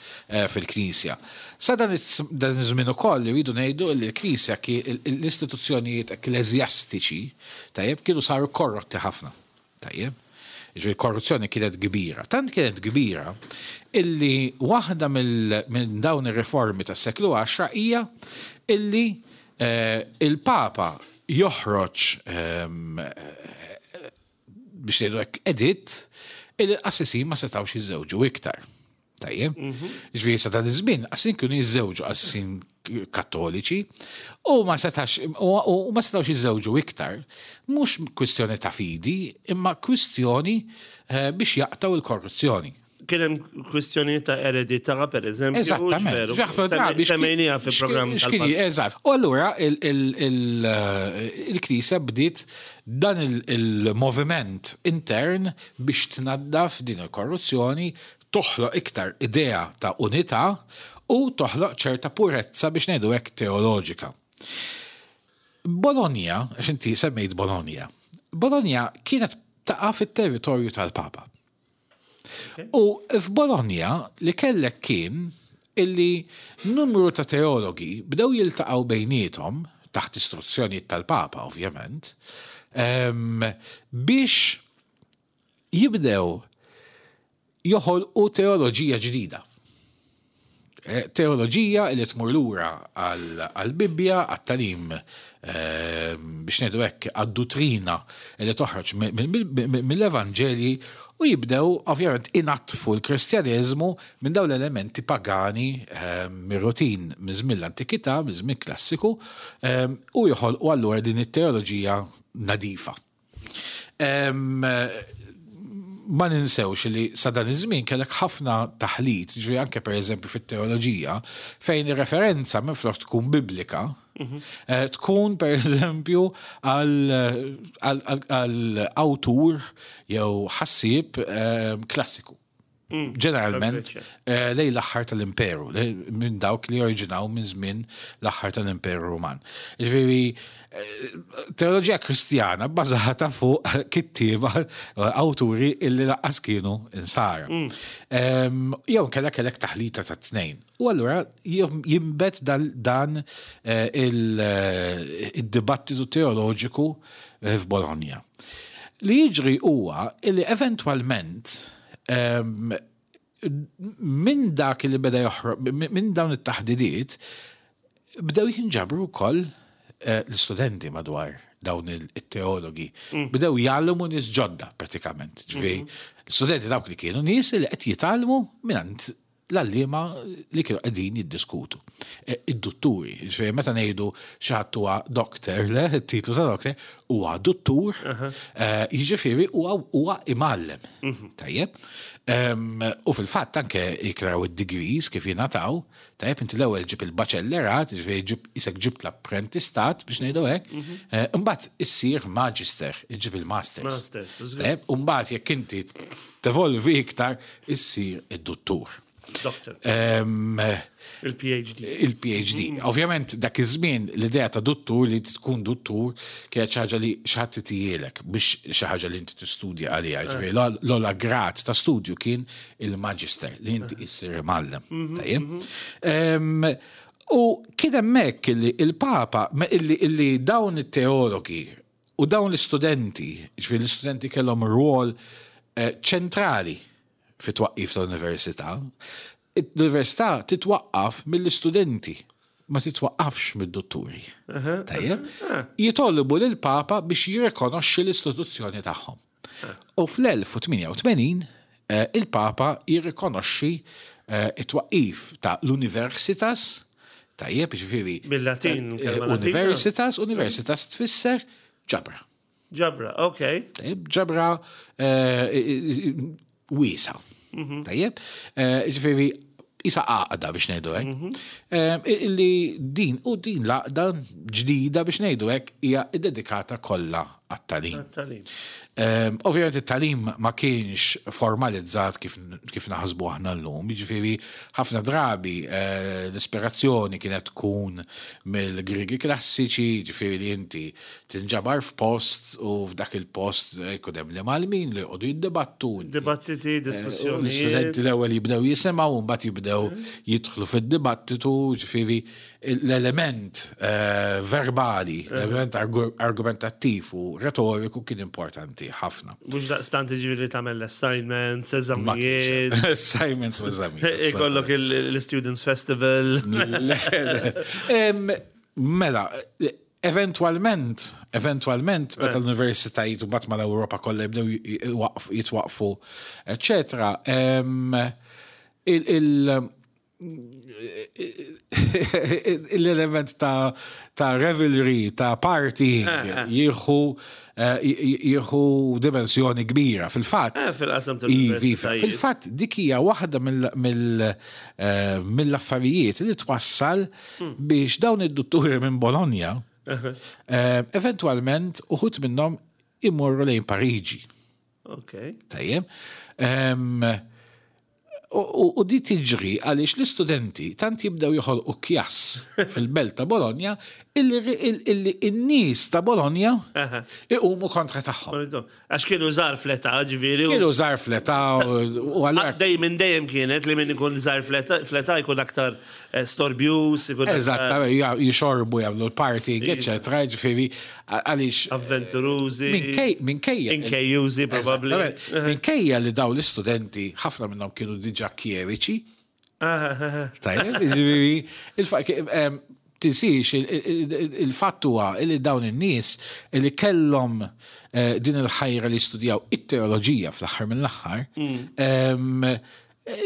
S2: fil-Knisja. Sa dan iż-żmien ukoll irridu ngħidu li l-Knisja l-istituzzjonijiet ekkleżjastiċi tajjeb kienu saru korrotti ħafna. Tajjeb. Ġifieri korruzzjoni kienet kbira. Tant kienet kbira illi waħda minn dawn ir-riformi tas-seklu 10 hija illi il-Papa joħroġ biex ngħidu hekk editt illi l-qassisin ma setgħux jiżżewġu iktar. Tajjeb. Ġifieri sa dan iż-żmien qassisin kienu jiżżewġu qassisin kattoliċi u ma setax u ma setgħux jiżżewġu iktar. Mhux kwistjoni ta' fidi, imma kwistjoni biex jaqtgħu il-korruzzjoni.
S1: Kien hemm kwistjoni ta' eredità, per eżempju.
S2: Eżattament.
S1: Ħafna drabi Semmejniha fi programm
S2: Eżatt. U allura il-Knisja bdiet dan il-moviment intern biex tnaddaf din il-korruzzjoni, toħloq iktar idea ta' unità u toħloq ċerta purezza biex ngħidu hekk teoloġika. Bologna, għax inti semmejt Bologna, Bologna kienet taqa' fit-territorju tal-Papa. U f'Bologna li kellek kien illi numru ta' teologi bdew jiltaqgħu bejniethom, taħt istruzzjonijiet tal-Papa ovvjament, biex jibdew joħolqu teoloġija ġdida. Eh, teoloġija li tmur lura għall-Bibbja, għat-talim eh, biex ngħidu hekk għad-duttrina li toħroġ mill-Evanġelji u jibdew ovvjament inatfu l-Kristjaneżmu minn dawn l-elementi pagani eh, mir-rutin minn żmien l-antikità, minn żmien klassiku, u joħolqu allura din it-teoloġija nadifa. Ma ninsewx li sa dan iż-żmien kellek ħafna taħlit, ġifieri anke pereżempju fit-teoloġija, fejn ir-referenza minflok tkun biblika, mhm. eh, tkun pereżempju għal awtur jew ħassieb eh, klassiku. Mm. Ġeneralment eh, lej l-aħħar tal-imperu, minn dawk li oriġinaw minn żmien l-aħħar tal-imperu Ruman. Ġifieri eh, teoloġija kristjana bbażata fuq kittieba eh, awturi illi laqqas kienu insara. Mm. Jew kellek kellek taħlita ta' tnejn. U allura jimbet dan il-dibattitu teoloġiku f'Bologna. Li jiġri huwa li eventwalment minn dak li beda joħroq, minn dawn it-taħdidiet, bdew jinġabru wkoll eh, l-istudenti madwar dawn it-teologi. Mm. Bdew jgħallmu nies ġodda pratikament. Ġifieri, mm-hmm. l-istudenti dawk li kienu nies li qed jitgħallmu mingħand l-għalliema li kienu qegħdin jiddiskutu. E, id-dutturi, ġifieri meta ngħidu xi ħadd huwa doctor, le, it-titlu ta' doctor, huwa duttur, e, jiġifieri huwa imgħallem. Mhm. Tajjeb. U fil-fatt anke jikraw id-degrees kif jingħataw, tajjeb inti l-ewwel ġib il-baċellerat, ġifieri ġib isek ġibt l-apprentistat biex ngħidu hekk, mhm. e, imbagħad issir magister, iġib il-masters.
S1: Masters,
S2: Tajjeb, u mbagħad jekk inti tevolvi iktar issir id-duttur.
S1: Doctor. Il-PhD.
S2: Il-PhD. Mm. Ovvjament dak iż-żmien l-idea ta' duttur li tkun duttur kienet xi ħaġa li xi ħadd titijielek biex xi ħaġa li inti tistudja għaliha. Eh. Ġifieri l-ogħla grad ta' studju kien il-magister li inti eh. issir imgħallem. Mhm, Tajjeb. Mhm. U kien hemmhekk li il-Papa illi dawn it-teologi U dawn l-istudenti, ġifieri l-istudenti kellhom rwol eh, ċentrali fit-twaqqif tal-università. L-università titwaqqaf mill-istudenti, ma titwaqqafx mid-dutturi. Tajjeb? Jitolbu lill-Papa biex jirrikonoxxi l-istituzzjoni tagħhom. U fl-1088 eh, il-Papa jirrikonoxxi eh, it-twaqqif ta' l-Universitas, tajjeb, ġifieri.
S1: Bil-Latin.
S2: Eh, universitas, universitas tfisser ġabra.
S1: Ġabra, ok.
S2: Tajjeb, ġabra wiesa. Mhm. Tajjeb, ġifieri isa għaqda biex ngħidu hekk. Mhm. Illi din u din l-għaqda ġdida biex ngħidu hekk hija ddedikata kollha għat-tagħlim. Ehm, ovvjament it-tagħlim ma kienx formalizzat kif, kif naħsbu aħna llum, jiġifieri ħafna drabi eh, l-ispirazzjoni kienet tkun mill-Grigi klassiċi, jiġifieri li inti tinġabar f'post u f'dak il-post eh, jkun hemm l-imgħallmin li jqogħdu jiddibattu.
S1: Dibattiti, eh, diskussjoni.
S2: L-istudenti l-ewwel jibdew jisimgħu u mbagħad jibdew jidħlu fid-dibattitu, ġifieri l-element eh, verbali, l-element argumentattiv u retoriku kien importanti ħafna.
S1: Mhux daqstant ġifieri tagħmel assignments, eżamijiet.
S2: Assignments, eżamijiet.
S1: Ikollok l-Students Festival.
S2: Mela, Eventwalment, eventwalment, meta l-universitajiet u mbagħad mal-Ewropa kollha jibdew jitwaqfu, eċetera, l-element ta' ta' revelry, ta' party, eh, eh. jieħu eh, jieħu dimensjoni kbira. Fil-fatt.
S1: Fil-qasam
S2: Fil-fatt dik hija waħda mill-affarijiet li twassal hmm. biex dawn id-dutturi minn Bologna eh, eventwalment uħut minnhom imorru lejn Pariġi.
S1: Ok.
S2: Tajjeb. U di tiġri għaliex l-istudenti tant jibdew joħolqu kjass fil-belt ta' Bologna Illi n-nies ta' Bologna iqumu kontra tagħhom.
S1: Għax kienu żgħar fl-età, ġifieri.
S2: Kienu żgħar fl-età u
S1: għallura. Dejjem minn dejjem kienet li min ikun żgħar fl-età jkun aktar eh, storbjuż,
S2: ikun. Eżatt, jixorbu jagħmlu l-party, eċetera, ġifieri għaliex.
S1: Avventurużi.
S2: Minkejja.
S1: Inkejjużi probabbli.
S2: Minkejja li daw l-istudenti ħafna minnhom kienu diġà kjeriċi. Tajjeb, ġifieri, tinsiex il-fatt huwa li dawn in-nies li kellhom eh, din il-ħajra li studjaw it-teoloġija fl-aħħar mill-aħħar mm. eh,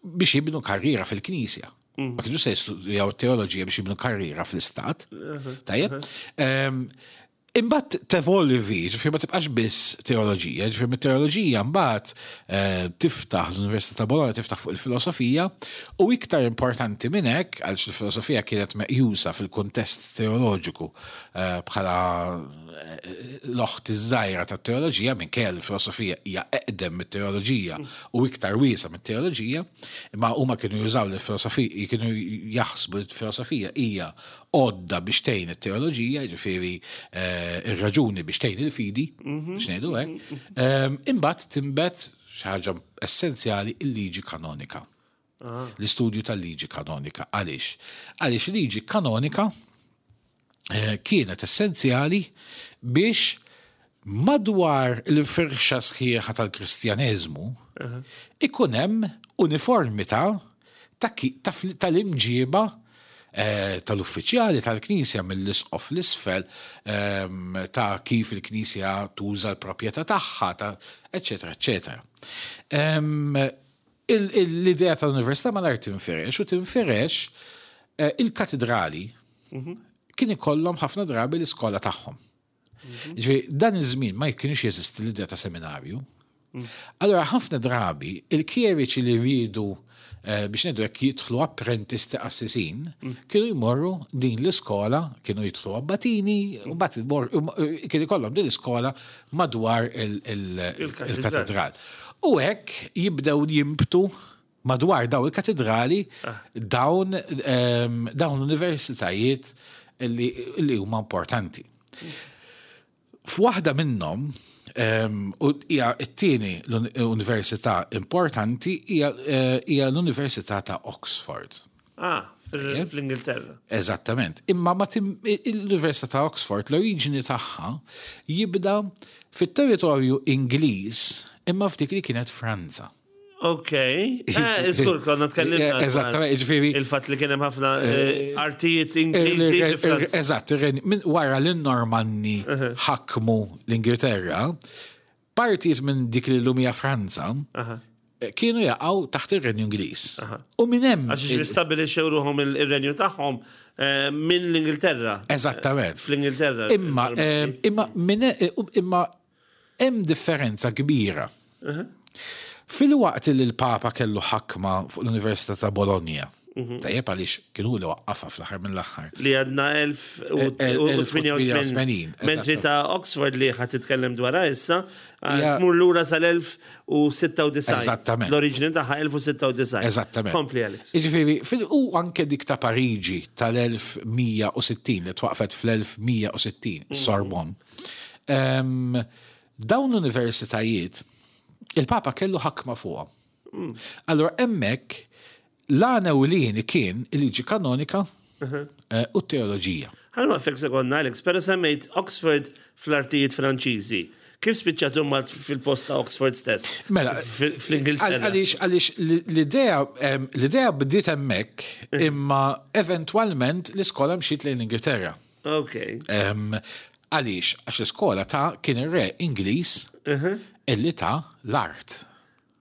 S2: biex jibnu karriera fil-knisja. Mm. Ma kienu se jistudjaw teoloġija biex jibnu karriera fl-istat. Uh-huh. Tajjeb. Uh-huh. Imbagħad tevolvi, ġifieri ma tibqax biss teoloġija, ġifieri mit-teoloġija mbagħad eh, tiftaħ l-Università ta' Bologna tiftaħ fuq il-filosofija u iktar importanti minn hekk għaliex il-filosofija kienet meqjusa fil-kuntest teoloġiku eh, bħala eh, l-oħt iż-żgħira tat-teoloġija minkejja l-filosofija hija eqdem mit-teoloġija u iktar wiesa mit-teoloġija, imma huma kienu jużaw l-filosofija, kienu jaħsbu li l-filosofija hija għodda biex tgħin it-teoloġija, jiġifieri eh, ir-raġuni biex tgħin il-fidi, mhm. biex ngħidu hekk. Mhm. Ehm, imbagħad tinbet xi ħaġa essenzjali il-liġi kanonika. Ah. L-istudju tal-liġi kanonika. Għaliex? Għaliex liġi kanonika eh, kienet essenzjali biex madwar il-firxa sħiħa tal-Kristjaneżmu ikun hemm uniformità tal-imġiba eh, tal-uffiċjali tal-Knisja mill-isqof l-isfel ehm, ta' kif il-Knisja tuża l-proprjetà tagħha, ta' eċetera, eċetera. Ehm, l-idea tal-Università malajr tinfirex u tinfirex eh, il-katedrali mhm. kien ikollhom ħafna drabi l-iskola tagħhom. Mhm. Ġifieri dan iż-żmien ma kienx jeżisti l-idea ta' seminarju. Mm. Allora ħafna drabi il-kjeriċi li rridu eh, biex ngħidu hekk jidħlu apprentisti qassisin, mm. kienu jmorru din l-iskola, kienu jidħlu abbatini, u mbagħad kien ikollhom din l-iskola madwar il-katedral. U hekk jibdew jimbtu madwar daw il-katedrali ah. dawn ehm, dawn l-universitajiet li huma importanti. F'waħda minnhom ehm, u hija t-tieni l-università importanti hija eh, l-Università ta' Oxford.
S1: Ah, fl-Ingilterra.
S2: Eżattament. Imma ma l-Università ta' Oxford l-oriġini tagħha jibda fit-territorju Ingliż imma f'dik li kienet Franza.
S1: Ok, eh, żgur konna tkellimna.
S2: Eh, eżattament, ġifieri.
S1: Il-fatt li kien hemm ħafna eh, artijiet Ingliżi.
S2: Eżatt, minn wara li n-Normanni ħakmu l-Ingilterra, partijiet minn dik li l-lum hija Franza, kienu jaqgħu taħt ir-Renju Ingliż. U minn hemm.
S1: Għax jistabilixxew ruħhom ir-renju tagħhom minn l-Ingilterra.
S2: Eżattament.
S1: Fl-Ingilterra.
S2: Imma imma imma Hemm differenza kbira. Filwaqt li l-Papa kellu ħakma fuq l-Università ta' Bologna, mhm. tajjeb għaliex kienu li waqqafha fl-aħħar mill-aħħar.
S1: Li għadna 1088. Mentri ta' Oxford li ħad titkellem dwarha issa, tmur lura sal-1096.
S2: Eżattament.
S1: L-oriġini tagħha 1096.
S2: Eżattament.
S1: Kompli Alex.
S2: Jiġifieri, u anke dik ta' Pariġi tal-1160 li twaqfet fl-1160, mhm. Sorbonne. Dawn l-universitajiet, il-Papa kellu ħakma fuqhom. Mm. Allora hemmhekk l-għana ewlieni kien il-liġi kanonika uh-huh. eh, u t-teoloġija.
S1: Ħallu għafek sekonda, Alex, pero semmejt Oxford fl-artijiet Franċiżi. Kif spiċċat huma fil-post ta' Oxford stess?
S2: Mela,
S1: fl-Ingilterra.
S2: Għaliex għaliex l-idea l-idea bdiet hemmhekk uh-huh. imma eventwalment l-iskola mxiet lejn l-Ingilterra.
S1: Ok.
S2: Għaliex, għax l-iskola ta' kien ir-re Ingliż uh-huh. illi ta' l-art.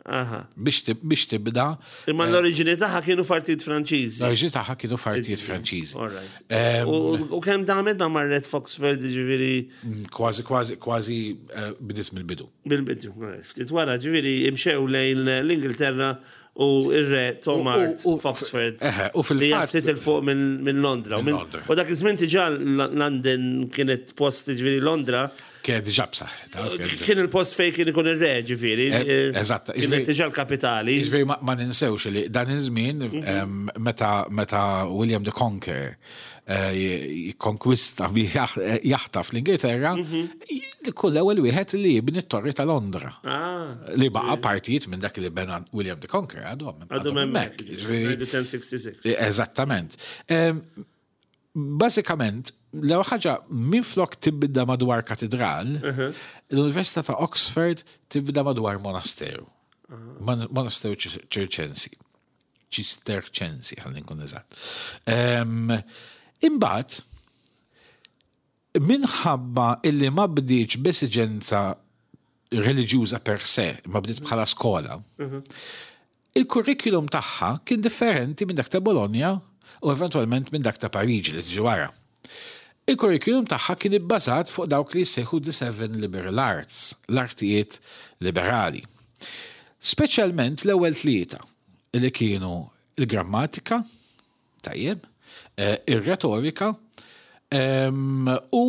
S2: Biex tibda.
S1: Imma eh, l-oriġini tagħha kienu fartijiet Franċiżi.
S2: L-oriġini tagħha kienu fartijiet Franċiżi.
S1: U kemm damet ma marret Foxford ġifieri.
S2: Mm, kważi, kważi, kważi eh, bdiet mill-bidu.
S1: Mill-bidu, ftit wara ġifieri imxew lejn l-Ingilterra u ir-re Tom Art f'Oxford.
S2: U fil-fatt.
S1: Ftit il fuq minn Londra. U dak iż-żmien diġà London kienet post ġifieri Londra.
S2: Kienet diġà b'saħħitha.
S1: Kien il-post fejn kien ikun ir-re ġifieri.
S2: Eh, eh, eżatt.
S1: Kienet diġà l-kapitali.
S2: Ġifieri ma ninsewx li dan iż-żmien mhm. meta William the Conqueror jikkonkwista jaħtaf l-Ingilterra, mhm. kull ewwel wieħed li jibni t-Torri ta' Londra. Ah. Li baqa' partijiet minn dak li bena William the Conqueror għadhom.
S1: Għadhom hemmhekk. 1066.
S2: Eżattament. Bażikament, l-ewwel ħaġa minflok tibda madwar katedral, mhm. l-Università ta' Oxford tibda madwar monasteru. Monasteru ċirċensi. Ċisterċensi, ħalli nkun eżatt. Imbagħad, minħabba illi ma bdietx b'esiġenza reliġjuża per se, ma bdiet bħala skola, mhm. il-kurrikulum tagħha kien differenti minn dak ta' Bologna u eventwalment minn dak ta' Pariġi li tiġi wara. Il-kurrikulum tagħha kien ibbażat fuq dawk li jissejħu the seven liberal arts, l-artijiet liberali. Speċjalment l-ewwel tlieta li kienu il-grammatika, tajjeb, eh, ir-retorika, u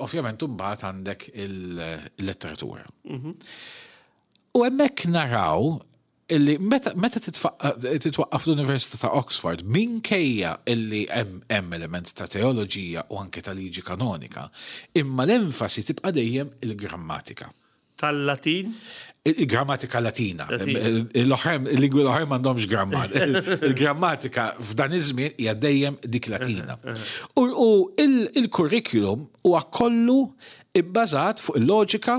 S2: ovvjament imbagħad għandek il-letteratura. Mhm. U hemmhekk naraw illi meta, meta titwaqqaf l-Università ta' Oxford minkejja illi hemm element ta' teoloġija u anke ta' liġi kanonika, imma l-enfasi tibqa' dejjem il-grammatika.
S1: Tal-Latin?
S2: Il-grammatika Latina. L-oħrajn, il-lingwi l-oħrajn m'għandhomx grammatika. Il-grammatika f'dan iż-żmien hija dejjem dik Latina. U il-kurrikulum huwa kollu ibbażat fuq il-loġika,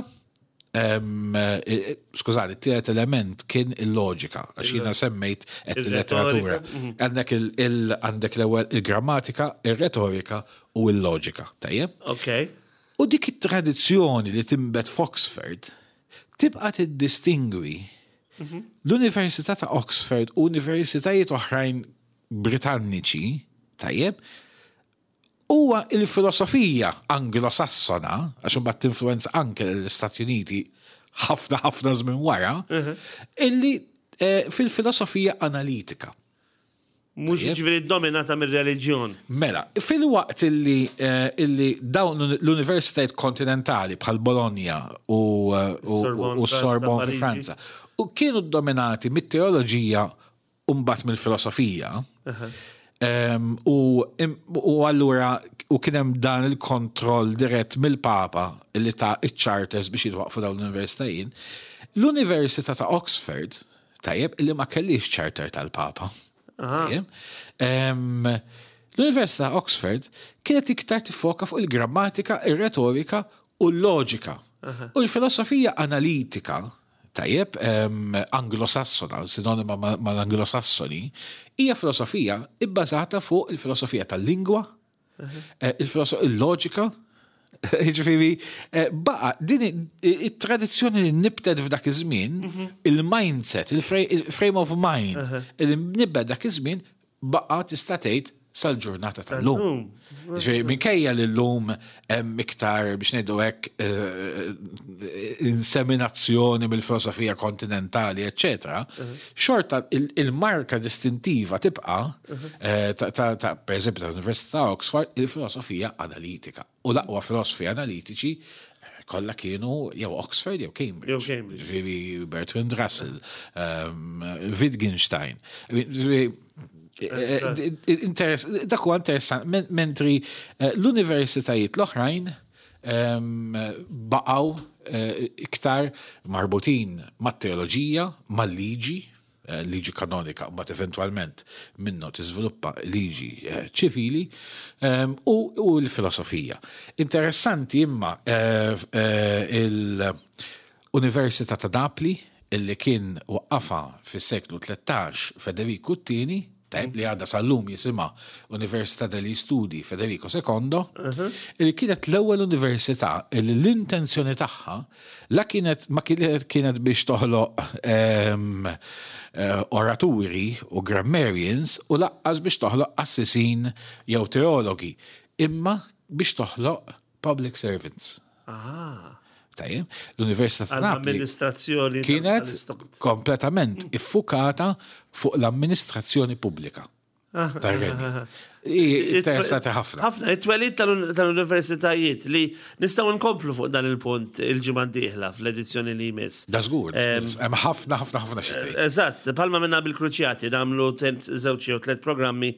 S2: skużani, t-tielet element kien il-loġika, għax jiena semmejt qed il-letteratura. Mhm. Għandek għandek l-ewwel il-grammatika, ir-retorika u l-loġika, tajjeb?
S1: Ok.
S2: U dik it-tradizzjoni li timbet f'Oxford tibqa' tiddistingwi mhm. l-Università ta' Oxford u universitajiet oħrajn Britanniċi, tajjeb, huwa il-filosofija Anglo-Sassona, għax imbagħad tinfluwenza anke l-Istati Uniti ħafna ħafna żmien wara, mhm. illi eh, fil-filosofija analitika.
S1: Mhux ġifieri dominata mir-reliġjon.
S2: Mela, fil-waqt illi, eh, illi dawn l-universitajiet kontinentali bħal Bologna u, eh, u Sorbonne fi Franza u kienu dominati mit-teoloġija u mbagħad mill-filosofija. U, u allura u kien hemm dan il-kontroll dirett mill-Papa li ta' iċ-charters biex jitwaqfu dawn l-universitajiet. L-Università ta' Oxford, tajjeb, li ma kellix charter tal-Papa. L-Università ta' Oxford kienet iktar tiffoka fuq il-grammatika, ir-retorika u l-loġika. U l-filosofija analitika Tajjeb, Anglosassona, sinonima mal-Anglosassoni, hija filosofija ibbażata fuq il-filosofija tal-lingwa, eh, il-loġika, Ġifieri, eh, baqa, din it-tradizzjoni li nibtet f'dak iż-żmien, mhm. il-mindset, il-frame of mind, li nibet dak iż-żmien, baqa' tista' tgħid sal-ġurnata tal-lum. Ġifieri minkejja li llum hemm iktar biex ngħidu hekk eh, inseminazzjoni mill-filosofija kontinentali, eċċetera, xorta il-marka distintiva tibqa' eh, ta' pereżempju tal-Università ta' Oxford il-filosofija analitika. U l-aqwa filosofi analitiċi eh, kollha kienu jew Oxford jew Cambridge.
S1: Jew Cambridge.
S2: Ġifieri Bertrand Russell, um, Wittgenstein. Ġifieri, eh, eh, dak huwa interessant, mentri l-universitajiet l-oħrajn ehm, baqgħu iktar marbutin mat-teoloġija, mal-liġi, Eh, liġi kanonika, mbagħad eventwalment minnu tiżviluppa liġi eh, ċivili ehm, u l-filosofija. Interessanti imma eh, il-Università ta' Napli illi kien waqqafa fis-seklu 13 Federiku II, tajb li għadha sal-lum jisimha Università degli Studi Federico II, li kienet l-ewwel università li l-intenzjoni tagħha la kienet ma kienet kienet biex toħloq ehm, eh, oraturi u grammarians u laqqas biex toħloq qassisin jew teologi, imma biex toħloq public servants.
S1: Ah.
S2: Tajjeb, l-Università ta' Napli
S1: Amministrazzjoni
S2: kienet kompletament iffukata fuq l-amministrazzjoni pubblika. Ah, tar-renju. Ah, ah, Interessanti ħafna.
S1: Ħafna, it-twelid tal-universitajiet li nistgħu nkomplu fuq dan il-punt il-ġimgħa d-dieħla fl-edizzjoni li jmiss.
S2: Da żgur, hemm ħafna ħafna ħafna xi tgħid.
S1: Eżatt, palma minna bil-kruċjati nagħmlu żewġ jew tliet programmi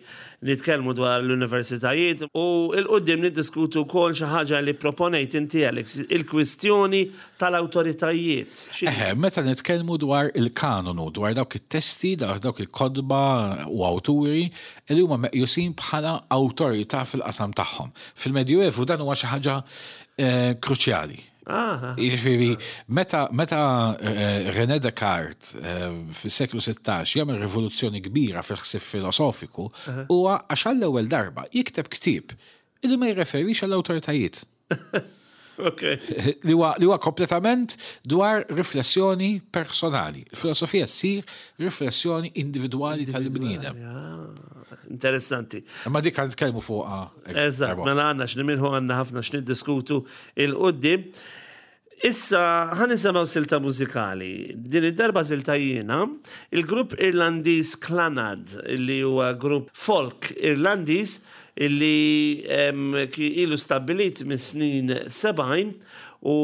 S1: nitkellmu dwar l-universitajiet u il-qudiem niddiskutu wkoll xi ħaġa li proponejt inti Alex, il-kwistjoni tal-awtoritajiet.
S2: Eħe, meta nitkellmu dwar il-kanonu, dwar dawk it-testi, dawk il-kotba u awturi li huma meqjusin bħala awtorità fil-qasam tagħhom. Fil-Medjuevu dan huwa xi ħaġa eh, kruċjali. Jiġifieri meta meta eh, René Descartes eh, fis-seklu 16 jagħmel rivoluzzjoni kbira fil-ħsieb filosofiku, huwa għax għall-ewwel darba jikteb ktieb li ma jirreferix għall-awtoritajiet. Li huwa kompletament dwar riflessjoni personali. Il-filosofija ssir riflessjoni individwali tal-bniedem.
S1: Interessanti.
S2: Ma dik għan nitkellmu fuqha.
S1: Eżatt, mela għandna x'nimirħu għandna ħafna x'niddiskutu il-qudiem. Issa ħa nisimgħu silta mużikali. Din id-darba silta jiena, il-grupp Irlandiż Clannad, li huwa grupp folk Irlandiż illi ilu stabbilit mis-snin 70 u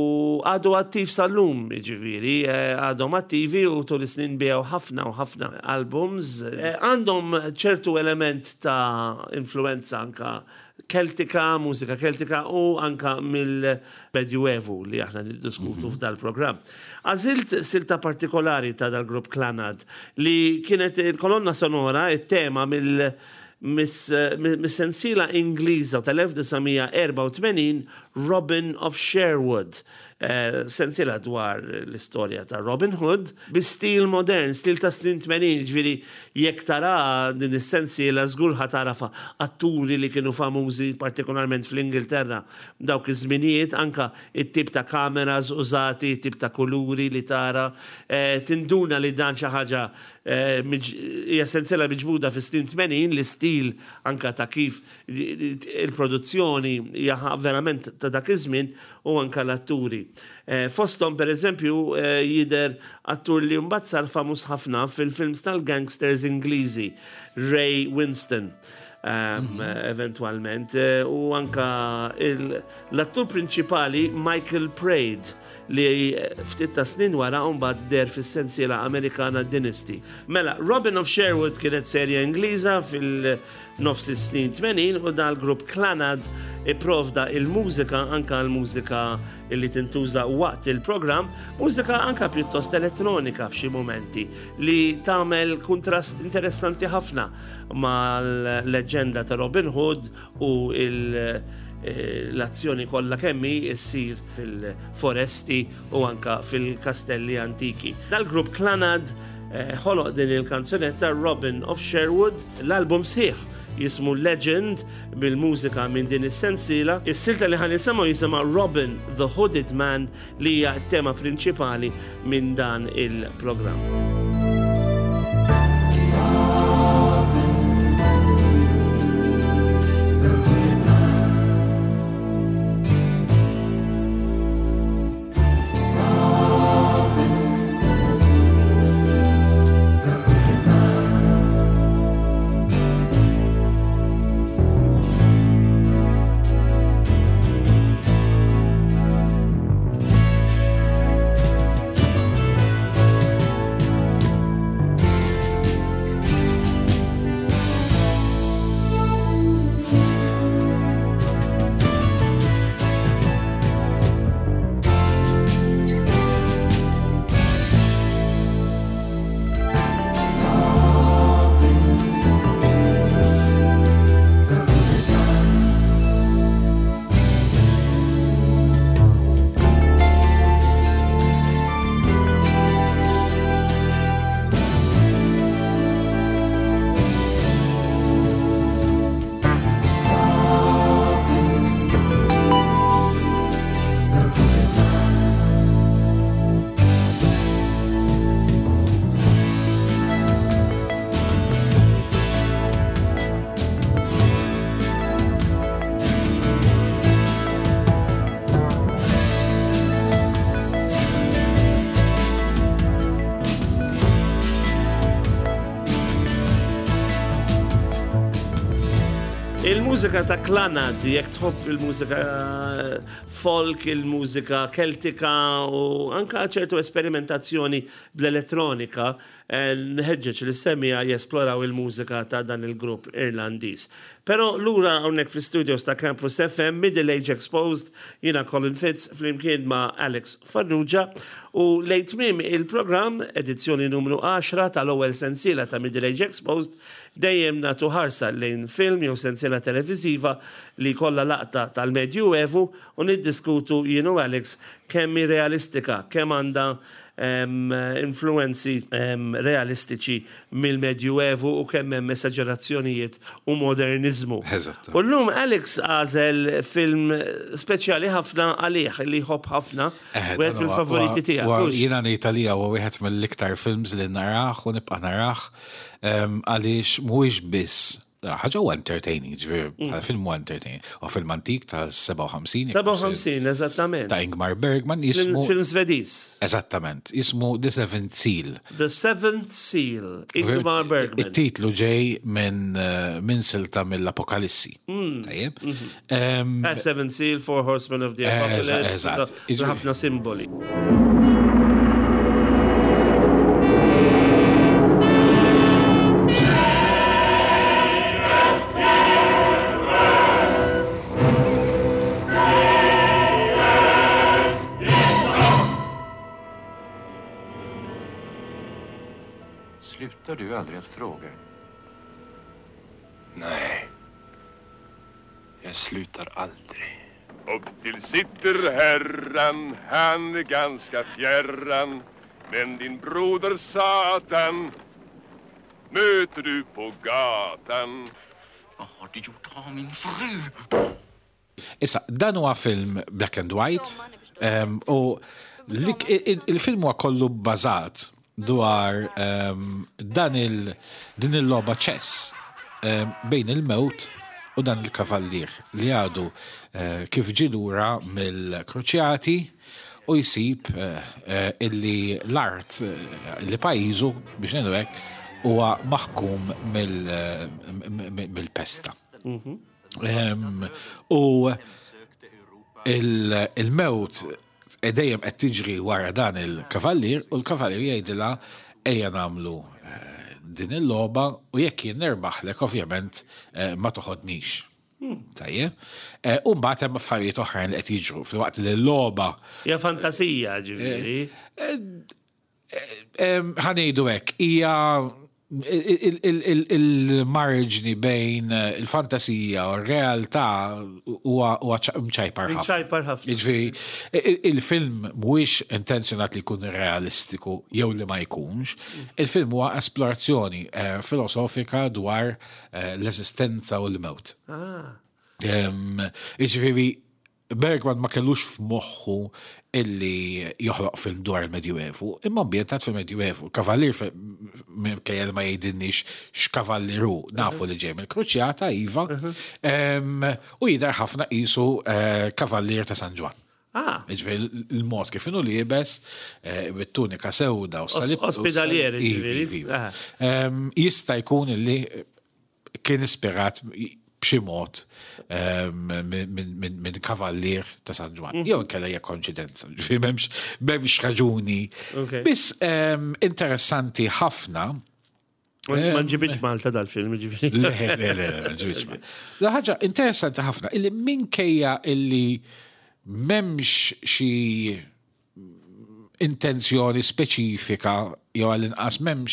S1: għadu attiv sal-lum, jiġifieri, għadhom attivi u tul is-snin biegħu ħafna u ħafna albums. Għandhom ċertu element ta' influenza anka Keltika, mużika Keltika u anka mill-Medjuevu li aħna niddiskutu mhm. f'dal-programm. Għażilt silta partikolari ta' dal-grupp Klanad li kienet il-kolonna sonora, it-tema mill- mis-sensiela Ingliża tal-1984 Robin of Sherwood. Eh, sensiela dwar l-istorja ta' Robin Hood bi stil modern, stil ta' snin 80, ġviri jekk tara din is-sensiela żgur ħa tara atturi li kienu famużi partikolarment fl-Ingilterra dawk iż-żminijiet, anka it-tip ta' kameras użati, tip ta' kuluri li tara, eh, tinduna li dan xi ħaġa eh, hija sensiela miġbuda fis-snin 80 l-istil anka ta' kif il-produzzjoni hija verament ta' dak iż-żmien u anke l-atturi. Eh, fosthom pereżempju eh, jidher attur li mbagħad sar famuż ħafna fil-films tal-gangsters Ingliżi, Ray Winston. Mhm. Eventwalment eh, u anka l-attur prinċipali Michael Praed li ftit ta' snin wara mbagħad der fis-sensiela Amerikana Dynasty. Mela, Robin of Sherwood kienet serja Ingliża fil- Nofs is-snin 80 u dal-grupp Clannad ipprovda il-mużika anka l-mużika li tintuża waqt il-programm, mużika anka pjuttost elettronika f'xi mumenti li tagħmel kuntrast interessanti ħafna mal-leġġenda ta' Robin Hood u l-azzjoni kollha kemmi ssir fil-foresti u anka fil-kastelli antiki. Dal-grupp Clannad eh, ħoloq din il-kanzunetta Robin of Sherwood, l-album sħiħ jismu Legend bil-mużika minn din is-sensiela. Is-silta li ħan nisimgħu jisimha Robin the Hooded Man li hija t-tema prinċipali minn dan il-programm. Il-mużika ta' Clannad, jekk tħobb il-mużika eh, folk, il-mużika keltika u anka ċertu esperimentazzjoni bl-elettronika, eh, nħeġġeġ li semija jesploraw il-mużika ta' dan il-grupp Irlandiż. Però lura hawnhekk fl-studios ta' Campus FM, Middle Age Exposed, jiena Colin Fitz flimkien ma' Alex Farrugia u lejn tmiem il-programm, edizzjoni numru 10 tal-ewwel sensiela ta' Middle Age Exposed, dejjem nagħtu ħarsa lejn film jew sensiela televiżiva li jkollha laqta tal-Medju Evu u niddiskutu jien u Alex kemm hi realistika, kemm għandha influwenzi realistiċi mill-Medju Evu u kemm hemm esaġerazzjonijiet u moderniżmu. U llum Alex għażel film speċjali ħafna għalih li jħobb ħafna, wieħed mill-favoriti tiegħek.
S2: Jiena ngħid għalija huwa wieħed mill-iktar films li narah u nibqa' narah għaliex mhuwiex biss ħaġa huwa entertaining, ġifieri mm. bħala film huwa entertaining. U film antik ta' 57.
S1: 57, eżattament.
S2: Ta' Ingmar Bergman jismu.
S1: Film Svediż.
S2: Eżattament, jismu The Seventh Seal.
S1: The Seventh Seal, Ingmar Bergman.
S2: It-titlu ġej minn eh, min silta mill-Apokalissi. Mm. Tajjeb.
S1: Mhm. Eh, Seventh Seal, Four Horsemen of the Apocalypse.
S2: Eżatt.
S1: Ħafna simboli.
S3: Slutar du aldrig att fråga? Nej. Jag slutar aldrig.
S4: Upp till sitter herran, han är ganska fjärran. Men din broder Satan möter du på gatan.
S3: Vad har du gjort av min fru?
S2: Issa, dan huwa film black and white u il-film huwa kollu bbażat dwar dan il din il-logħba ċess bejn il-mewt u dan il-kavallier li għadu eh, kif ġie lura mill-Kruċjati u jsib eh, eh, illi l-art li pajjiżu biex ngħidu hekk huwa maħkum mill-pesta. Mhm. U il-mewt E dejjem qed tiġri wara dan il-kavallier u l-kavallier jgħidilha ejja nagħmlu eh, din il-logħba u jekk jien nirbaħlek ovvjament eh, ma toħodnix. Hmm. Tajjeb. Eh, u mbagħad hemm affarijiet oħrajn li qed jiġru filwaqt li l-logħba.
S1: Hija fantasija ġifieri.
S2: Ħanejdu hekk, hija il-marġni bejn il-fantasija u r-realtà huwa mċajpar ħafna.
S1: Mċajpar ħafna.
S2: Jiġifieri il-film mhuwiex intenzjonat li jkun realistiku jew li ma jkunx. Il-film huwa esplorazzjoni eh, filosofika dwar eh, l-eżistenza u l-mewt.
S1: Ah.
S2: Jiġifieri Bergman ma kellux f'moħħu illi joħloq film dwar il-Medjuevu, imma ambjentat fil-Medjuevu. Kavallier minkejja li ma jgħidilniex x'kavallier hu, nafu li ġej mill-Kruċjata, iva, u jidher ħafna qisu eh, kavallier ta' San Ġwann.
S1: Ah.
S2: Ġifieri l-mod kif inhu liebes, eh, bit-tunika sewda u
S1: salib. Ospedalieri,
S2: iva,
S1: ġifieri.
S2: iva.
S1: Ah.
S2: Jista' jkun illi kien ispirat b'xi mod ehm, minn kavallier ta' San Ġwann. Mhm. Jew inkella hija konċidenza, ġifieri m'hemmx raġuni. Biss ehm, interessanti ħafna.
S1: Ma
S2: ehm,
S1: nġibitx Malta dal-film, ġifieri.
S2: Le, le, le, ma nġibitx Malta. La ħaġa interessanti ħafna illi minkejja illi m'hemmx xi intenzjoni speċifika jew għall-inqas m'hemmx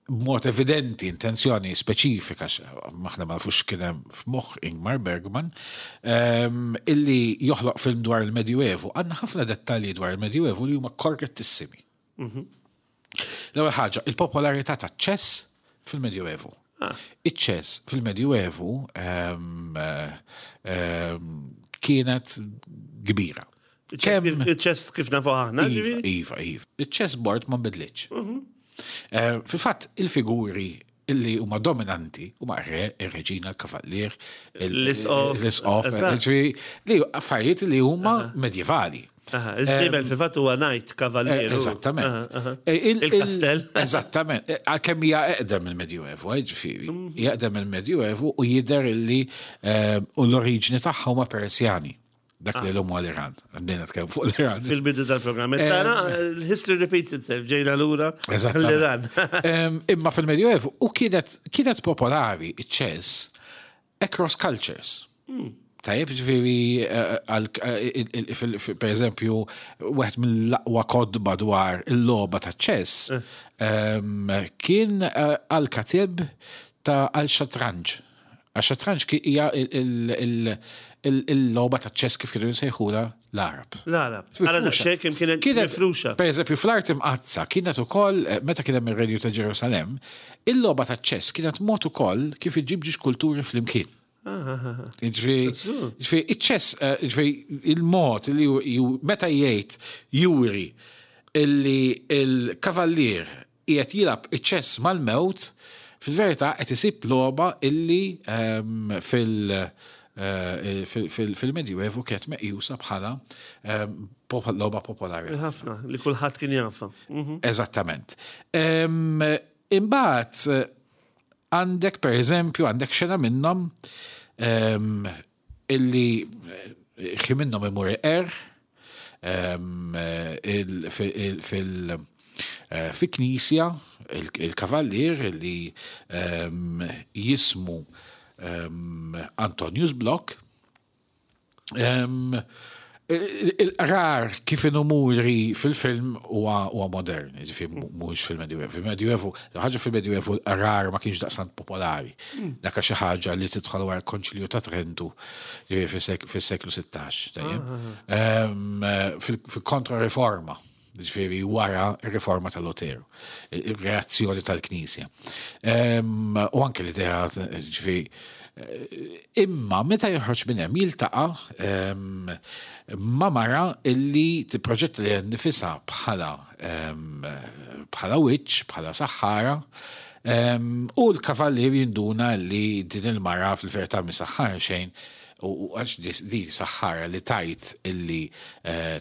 S2: b'mod evidenti intenzjoni speċifika, maħna ma nafux kien hemm f'moħħ Ingmar Bergman, ehm, illi joħloq film dwar il-Medjuevu. Għandna ħafna dettalji dwar il-Medjuevu li huma korrettissimi. Mhm. L-ewwel ħaġa, il-popolarità ta' ċess fil-Medjuevu. Ah. Iċ-ċess fil-Medjuevu ehm, ehm, kienet kbira.
S1: Iċ-ċess kif nafu aħna,
S2: iva, iva, iva. Iċ-chess board ma nbidlitx. Mhm. Eh, fil-fatt, il-figuri illi huma dominanti huma re, ir-reġina, l-kavallier,
S1: l-isqof,
S2: l-isqof, li affarijiet li huma medjevali.
S1: Aha, Iż-żiemel fil-fatt huwa knight kavallier.
S2: Eżattament.
S1: Il-kastell.
S2: Eżattament. Għalkemm hija eqdem il-Medjuevu, ġifieri. Hija eqdem il-Medjuevu u jidher illi u l-oriġini tagħha huma Persjani. Dak li l-lum l-Iran. Għandina tkellem fuq l-Iran.
S1: Fil-bidu tal-programm. Tara, history repeats itself, ġejna lura l-Iran.
S2: Imma fil-Medjuevu u kienet popolari iċ-ċess across cultures. Tajjeb, ġifieri, per eżempju, wieħed mill-aqwa kotba dwar il-logħba ta' ċess kien Al-Katib ta' Al-Shatranj. Al-Shatranj hija il-logħba ta' ċess kif kienu jsejħula l-Arab.
S1: L-Arab. Għara daqsxejn kemm kienet mifruxa.
S2: Per eżempju, fl-art imqaddsa kienet ukoll, meta kien hemm ir-Renju ta' Ġerusalemm, il-logħba ta' ċess kienet mod ukoll kif iġġib ġiex kulturi flimkien. Ġifieri, iċ-ċess, ġifieri, il-mod li meta jgħid juri illi il-kavallier qiegħed jilgħab iċ-ċess mal-mewt, fil-verità qed isib logħba illi fil-Medjuevu kienet meqjusa bħala logħba popolari.
S1: Ħafna, li kulħadd kien jafha.
S2: Eżattament. Imbagħad għandek, per eżempju, għandek xena minnhom illi xi minnhom imur iqerr fi knisja il-kavallier li jismu Antonius Block. Il-qrar kif inhu muri fil-film huwa modern, jiġifieri mhuwiex fil-Medjuevu. Fil-Medjuevu, ħaġa fil-Medjuevu l-qrar ma kienx daqstant popolari. Dak xi ħaġa li tidħol wara l-Konċilju ta' Trentu, jiġifieri fis-seklu 16, tajjeb. Fil-Kontra-Riforma, jiġifieri wara r-riforma ta' Luteru, ir-reazzjoni tal-Knisja. U anke l-idea, jiġifieri, imma meta joħroġ minn hemm jiltaqa' ma' mara illi tipproġetta lilha nnifisha bħala bħala witch, bħala saħħara, u l-kavallier jinduna li din il-mara fil-verità mhi saħħara xejn, u għax di saħħara li tajt illi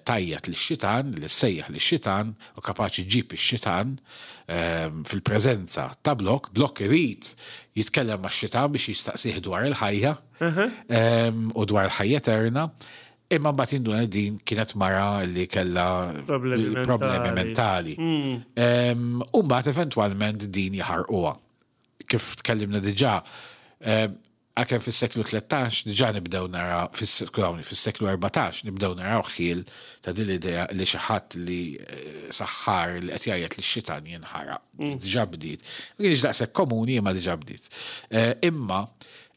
S2: tajjat lix-xitan, li ssejjaħ lix-xitan, u kapaċi ġġib ix-xitan fil-preżenza ta' Block, Block irid jitkellem max-xitan biex jistaqsih dwar il-ħajja u dwar il-ħajja eterna, imma mbagħad jinduna li din kienet mara li kellha problemi mentali. U mbagħad eventwalment din jaħarquha. Kif tkellimna diġà, Għalkemm fis-seklu 13 diġà nibdew naraw, skużawni, fis-seklu 14 nibdew naraw ħjiel ta' din l-idea li xi ħadd li saħħar li qed jgħajjat lix-xitan jinħaraq. Diġà bdiet. Ma kienx daqshekk komuni imma diġà bdiet. Imma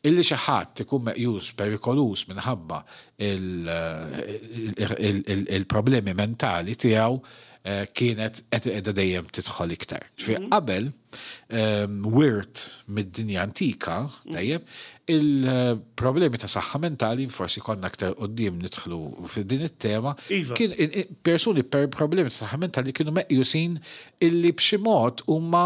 S2: illi xi ħadd ikun meqjus perikoluż minħabba il-problemi mentali tiegħu kienet qed qiegħda dejjem tidħol iktar. Ġifieri qabel wirt mid-dinja antika, tajjeb, il-problemi ta' saħħa mentali forsi konna aktar qudiem nidħlu f'din it-tema,
S1: iva.
S2: kien persuni per problemi ta' saħħa mentali kienu meqjusin illi b'xi mod huma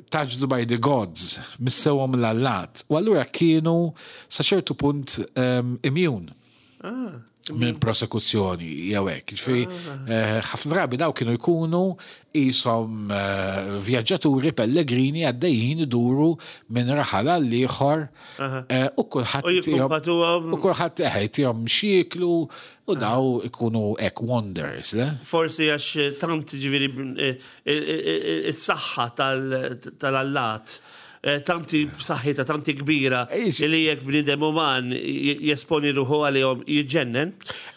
S2: touched by the gods, missewhom l-allat. U allura kienu sa ċertu punt immune.
S1: Ah.
S2: Minn prosekuzzjoni jew hekk. Ġifieri ah. eh, ħafna drabi daw kienu jkunu qishom eh, vjaġġaturi pellegrini għaddejjin iduru minn raħal għal ieħor eh, u kulħadd u kulħadd eħejtihom xieklu u daw ikunu hekk wonders, le?
S1: Forsi għax tant ġifieri is-saħħa tal-allat eh, tanti b'saħħitha, tanti kbira li jekk bniedem uman jesponi ruħu għalihom jiġġennen.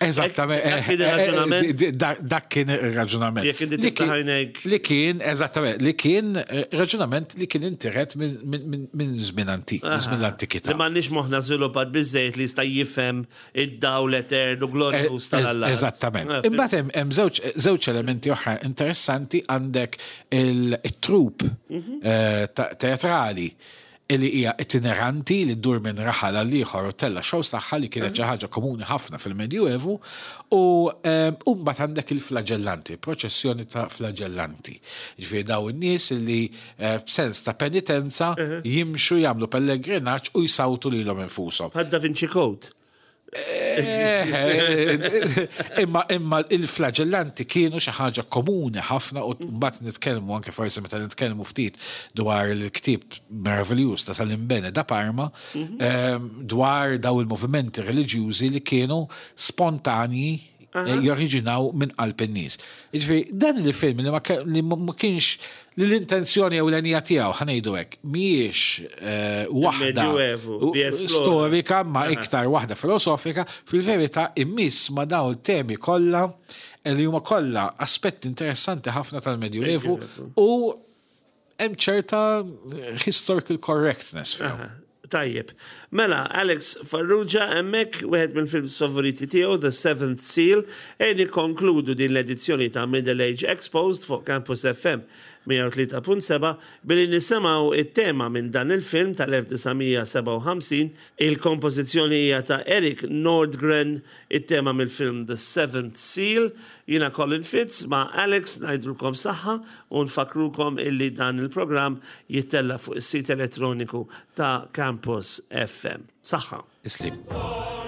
S2: Eżattament.
S1: Eh,
S2: eh, dak kien ir-raġunament.
S1: Jekk inti tiftaħ għajnejk.
S2: Li kien, eżattament, li kien raġunament li kien intiret minn żmien antik, minn żmien l-antikità.
S1: Li m'għandniex moħħna żviluppat biżejjed li jista' jifhem id-dawl eternu glorjuż tal-Alla.
S2: Eżattament. Imbagħad hemm żewġ elementi oħra interessanti għandek il-trup mhm. eh, teatrali li hija itineranti li ddur minn raħal għal ieħor u tella shows tagħha li kienet xi ħaġa komuni ħafna fil-Medjuevu u eh, mbagħad għandek il-flagellanti, proċessjoni ta' flagellanti. Ġifieri daw in-nies li eh, b'sens ta' penitenza jimxu jagħmlu pellegrinaġġ u jsawtu lilhom infushom.
S1: Bħad Da Vinci Code.
S2: Eh, imma imma il-flagellanti kienu xi ħaġa komuni ħafna u mbagħad nitkellmu anke forsi meta nitkellmu ftit dwar il-ktieb meraviljuż ta' Salimbene da Parma mhm. ehm, dwar daw il-movimenti reliġjużi li kienu spontanji eh, joriġinaw minn qalb in-nies. Jiġifieri dan il-film li ma kienx li l-intenzjoni ewlenija tiegħu ħa ngħidu hekk mhijiex eh, waħda storika ma iktar waħda filosofika, fil-verità immiss ma dawn temi kollha eh, li huma kollha aspetti interessanti ħafna tal-Medjuevu u hemm ċerta historical correctness fihom.
S1: Tajjeb. Mela, Alex Farrugia hemmhekk wieħed mill-films favoriti tiegħu The Seventh Seal, ejja nikkonkludu din l-edizzjoni ta' Middle Age Exposed fuq Campus FM 103.7 billi nisimgħu it-tema minn dan il-film tal-1957. Il-kompożizzjoni hija ta' Erik Nordgren, it-tema mill-film The Seventh Seal. Jiena Colin Fitz ma' Alex ngħidulkom saħħa u nfakkrukom illi dan il-programm jittella' fuq is-sit elettroniku ta' Campus FM. Saħħa!
S2: Islim.